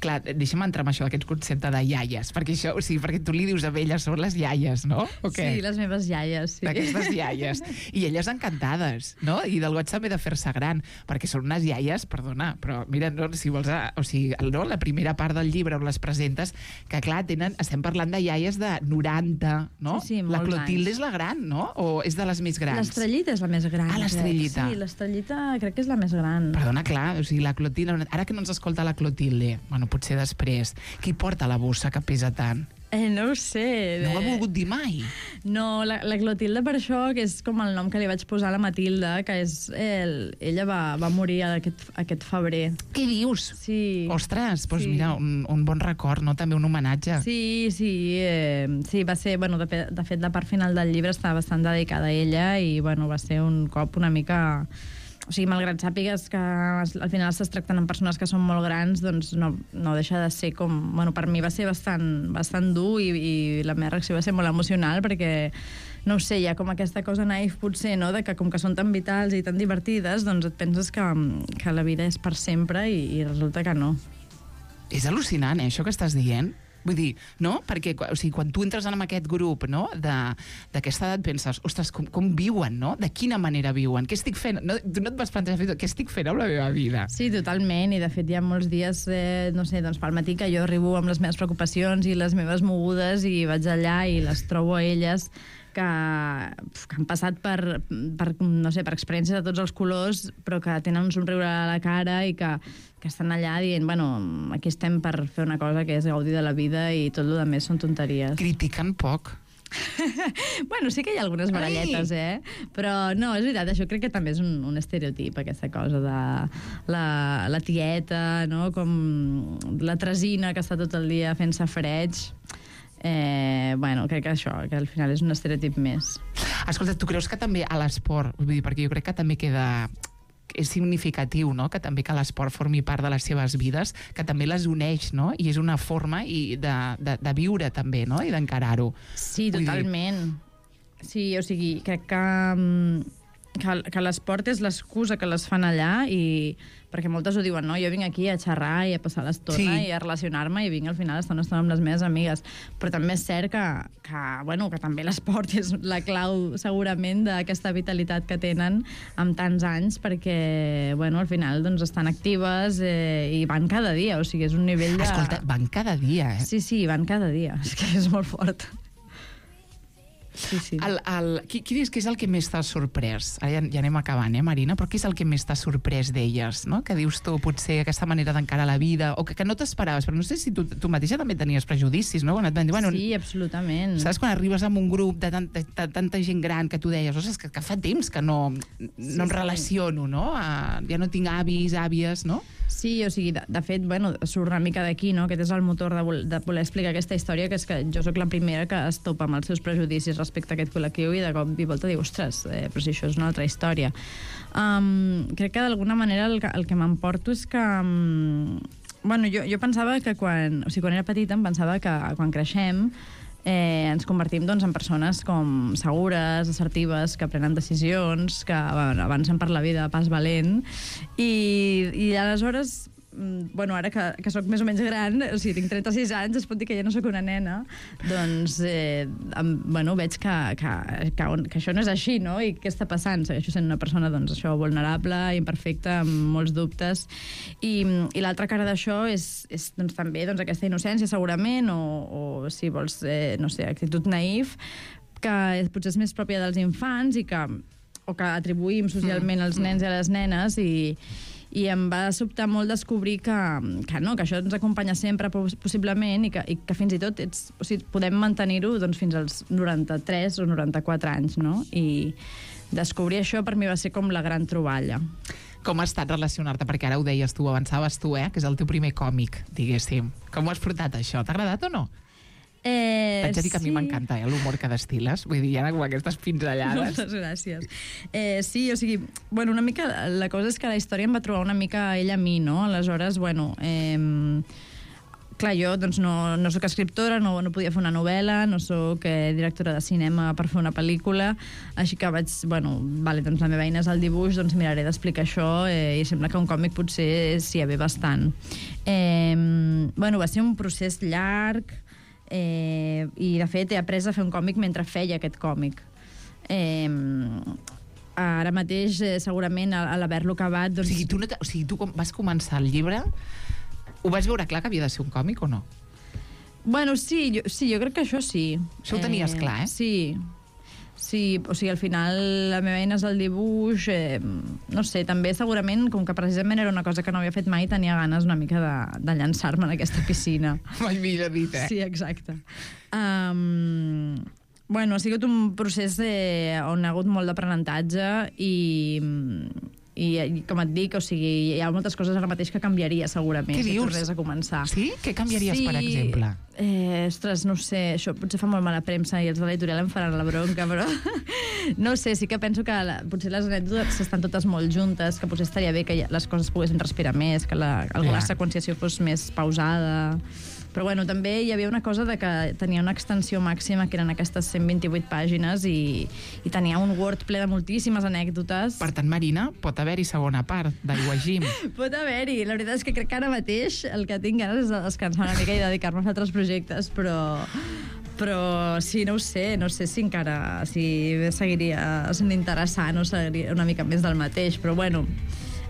Clar, deixa'm entrar amb això d'aquest concepte de iaies, perquè això, o sigui, perquè tu li dius a elles, són les iaies, no? O què? Sí, les meves iaies, sí. Aquestes iaies. I elles encantades, no? I del goig també de fer-se gran, perquè són unes iaies, perdona, però mira, no, si vols, o sigui, no, la primera part del llibre on les presentes, que clar, tenen, estem parlant de iaies de noranta, no? Sí, sí, molts la Clotilde anys. és la gran, no? O és de les més grans? L'estrellita és la més gran. Ah, l'estrellita. Sí, l'estrellita crec que és la més gran. Perdona, clar, o sigui, la Clotilde, ara que no ens escolta la Clotilde, bueno, potser després, qui porta la bossa que pesa tant? Eh, no ho sé. No ho ha volgut dir mai? No, la, la Clotilde per això, que és com el nom que li vaig posar a la Matilda, que és... El, ella va, va morir aquest, aquest febrer. Què dius? Sí. Ostres, doncs sí. mira, un, un bon record, no? També un homenatge. Sí, sí, eh, sí, va ser... Bueno, de, de fet, la part final del llibre està bastant dedicada a ella i, bueno, va ser un cop una mica... O sigui, malgrat sàpigues que al final estàs tractant amb persones que són molt grans, doncs no, no deixa de ser com... Bueno, per mi va ser bastant, bastant dur i, i la meva reacció va ser molt emocional perquè, no ho sé, hi ha com aquesta cosa naïf potser, no?, de que com que són tan vitals i tan divertides, doncs et penses que, que la vida és per sempre i, i resulta que no. És al·lucinant, eh, això que estàs dient. Vull dir, no? Perquè o sigui, quan tu entres en aquest grup, no?, d'aquesta edat penses, ostres, com, com viuen, no? De quina manera viuen? Què estic fent? No, tu no et vas plantejar què estic fent amb la meva vida? Sí, totalment, i de fet hi ha molts dies, eh, no sé, doncs pel matí que jo arribo amb les meves preocupacions i les meves mogudes i vaig allà i les trobo a elles que, que han passat per, per, no sé, per experiències de tots els colors, però que tenen un somriure a la cara i que, que estan allà dient, bueno, aquí estem per fer una cosa que és gaudir de la vida i tot el que més són tonteries. Critiquen poc. Bueno, sí que hi ha algunes baralletes, eh? Però no, és veritat, això crec que també és un, un estereotip, aquesta cosa de la, la tieta, no?, com la tresina que està tot el dia fent safareig. Eh, bueno, crec que això, que al final és un estereotip més. Escolta, tu creus que també a l'esport, vull dir, perquè jo crec que també queda... és significatiu, no?, que també que l'esport formi part de les seves vides, que també les uneix, no?, i és una forma i de, de, de viure també, no?, i d'encarar-ho. Sí, totalment. Sí, o sigui, crec que, que, que l'esport és l'excusa que les fan allà i... perquè moltes ho diuen, no? Jo vinc aquí a xerrar i a passar l'estona sí. i a relacionar-me i vinc al final a estar una estona amb les meves amigues. Però també és cert que, que, bueno, que també l'esport és la clau segurament d'aquesta vitalitat que tenen amb tants anys perquè, bueno, al final doncs, estan actives eh, i van cada dia, o sigui, és un nivell de... Escolta, van cada dia, eh? Sí, sí, van cada dia, és que és molt fort. Sí, sí. El, el, qui, qui dius que és el que més t'ha sorprès? Ara ja, ja anem acabant, eh, Marina? Però què és el que més t'ha sorprès d'elles, no? Que dius tu, potser, aquesta manera d'encarar la vida, o que, que no t'esperaves, però no sé si tu, tu mateixa també tenies prejudicis, no? Quan et van dir, bueno, sí, absolutament. Saps quan arribes amb un grup de tanta, de tanta gent gran que tu deies, ostres, que, que fa temps que no, no sí, em relaciono, no? A, ja no tinc avis, àvies, no? Sí, o sigui, de, de fet, bueno, surt una mica d'aquí, no?, aquest és el motor de, vol, de voler explicar aquesta història, que és que jo sóc la primera que es topa amb els seus prejudicis respecte a aquest col·lectiu i de cop i volta diu, ostres, eh, però si això és una altra història. Um, crec que d'alguna manera el, el que m'emporto és que... Um, bueno, jo, jo pensava que quan... O sigui, quan era petita em pensava que quan creixem eh, ens convertim doncs, en persones com segures, assertives, que prenen decisions, que bueno, avancen per la vida a pas valent, i, i aleshores bueno, ara que, que soc més o menys gran, o sigui, tinc trenta-sis anys, es pot dir que ja no sóc una nena, doncs, eh, em, bueno, veig que, que, que, que això no és així, no? I què està passant? Segueixo sent una persona, doncs, això, vulnerable, imperfecta, amb molts dubtes, i, i l'altra cara d'això és, és doncs, també doncs, aquesta innocència, segurament, o, o si vols, eh, no sé, actitud naïf, que potser és més pròpia dels infants i que, o que atribuïm socialment als nens i a les nenes, i i em va sobtar molt descobrir que, que no, que això ens acompanya sempre possiblement i que, i que fins i tot ets, o sigui, podem mantenir-ho doncs, fins als noranta-tres o noranta-quatre anys, no? I descobrir això per mi va ser com la gran troballa. Com ha estat relacionar-te? Perquè ara ho deies tu, avançaves tu, eh? Que és el teu primer còmic, diguéssim. Com ho has portat, això? T'ha agradat o no? Eh, T'haig de dir que a mi sí. m'encanta, eh, l'humor que destil·les. Vull dir, hi ha com aquestes pinzellades. Moltes gràcies. Eh, sí, o sigui, bueno, una mica, la cosa és que la història em va trobar una mica ella a mi, no? Aleshores, bueno, eh, clar, jo doncs, no, no sóc escriptora, no, no podia fer una novel·la, no sóc eh, directora de cinema per fer una pel·lícula, així que vaig, bueno, vale, doncs la meva eina és el dibuix, doncs miraré d'explicar això, eh, i sembla que un còmic potser s'hi ha bé bastant. Eh, bueno, va ser un procés llarg, Eh, i de fet he après a fer un còmic mentre feia aquest còmic. Eh, ara mateix eh, segurament a, a l'haver-lo acabat doncs... o sigui, tu, no o sigui, tu quan vas començar el llibre ho vas veure clar que havia de ser un còmic o no? Bueno, sí, jo, sí, jo crec que això sí. Això ho tenies eh, clar, eh? Sí. Sí, o sigui, al final la meva eina és el dibuix, eh, no sé, també segurament, com que precisament era una cosa que no havia fet mai, tenia ganes una mica de, de llançar-me en aquesta piscina. Mai millor dit, eh? Sí, exacte. Um, bueno, ha sigut un procés eh, on ha hagut molt d'aprenentatge i, i, i, com et dic, o sigui, hi ha moltes coses ara mateix que canviaria, segurament. Què dius? Si tornés a començar. Sí? Què canviaries, sí, per exemple? Eh, ostres, no sé, això potser fa molt mala premsa i els de l'editorial em faran la bronca, però no sé, sí que penso que la, potser les anècdotes estan totes molt juntes, que potser estaria bé que les coses poguessin respirar més, que la, alguna Clar. seqüenciació fos més pausada. Però bueno, també hi havia una cosa de que tenia una extensió màxima, que eren aquestes cent vint-i-vuit pàgines, i, i tenia un Word ple de moltíssimes anècdotes. Per tant, Marina, pot haver-hi segona part d'Aigua Gym. Pot haver-hi. La veritat és que crec que ara mateix el que tinc ganes és de descansar una mica i dedicar-me a altres projectes, però... però sí, no ho sé, no sé si encara si seguiria sent interessant o seguiria una mica més del mateix, però bueno,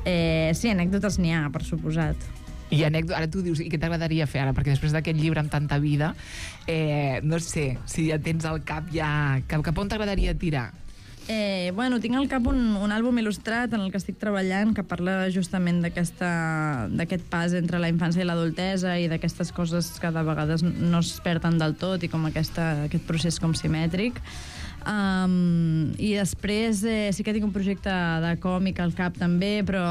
eh, sí, anècdotes n'hi ha, per suposat. I anècdota, ara tu dius, i què t'agradaria fer ara? Perquè després d'aquest llibre amb tanta vida, eh, no sé, si ja tens al cap ja... Cap, cap on t'agradaria tirar? Eh, bueno, tinc al cap un, un àlbum il·lustrat en el que estic treballant, que parla justament d'aquest pas entre la infància i l'adultesa i d'aquestes coses que de vegades no es perden del tot i com aquesta, aquest procés com simètric. Um, i després eh, sí que tinc un projecte de còmic al cap també, però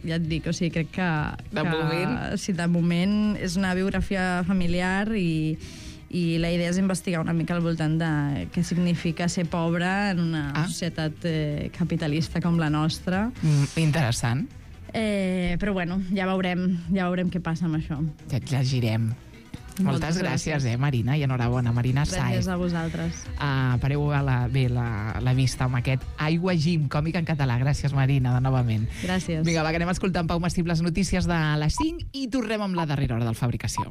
ja et dic, o sigui, crec que... De que, moment? Sí, de moment és una biografia familiar i, i la idea és investigar una mica al voltant de què significa ser pobre en una ah. societat eh, capitalista com la nostra. Mm, interessant. Eh, però bueno, ja veurem, ja veurem què passa amb això. Ja et llegirem. Moltes, Moltes gràcies, gràcies, eh, Marina, i enhorabona, Marina Sáez. Gràcies a vosaltres. Uh, pareu a la, bé la, la vista amb aquest Aigua Gym, còmic en català. Gràcies, Marina, de novament. Gràcies. Vinga, va, que anem escoltant Pau Mastib les notícies de les cinc i tornem amb la darrera hora del Fabricació.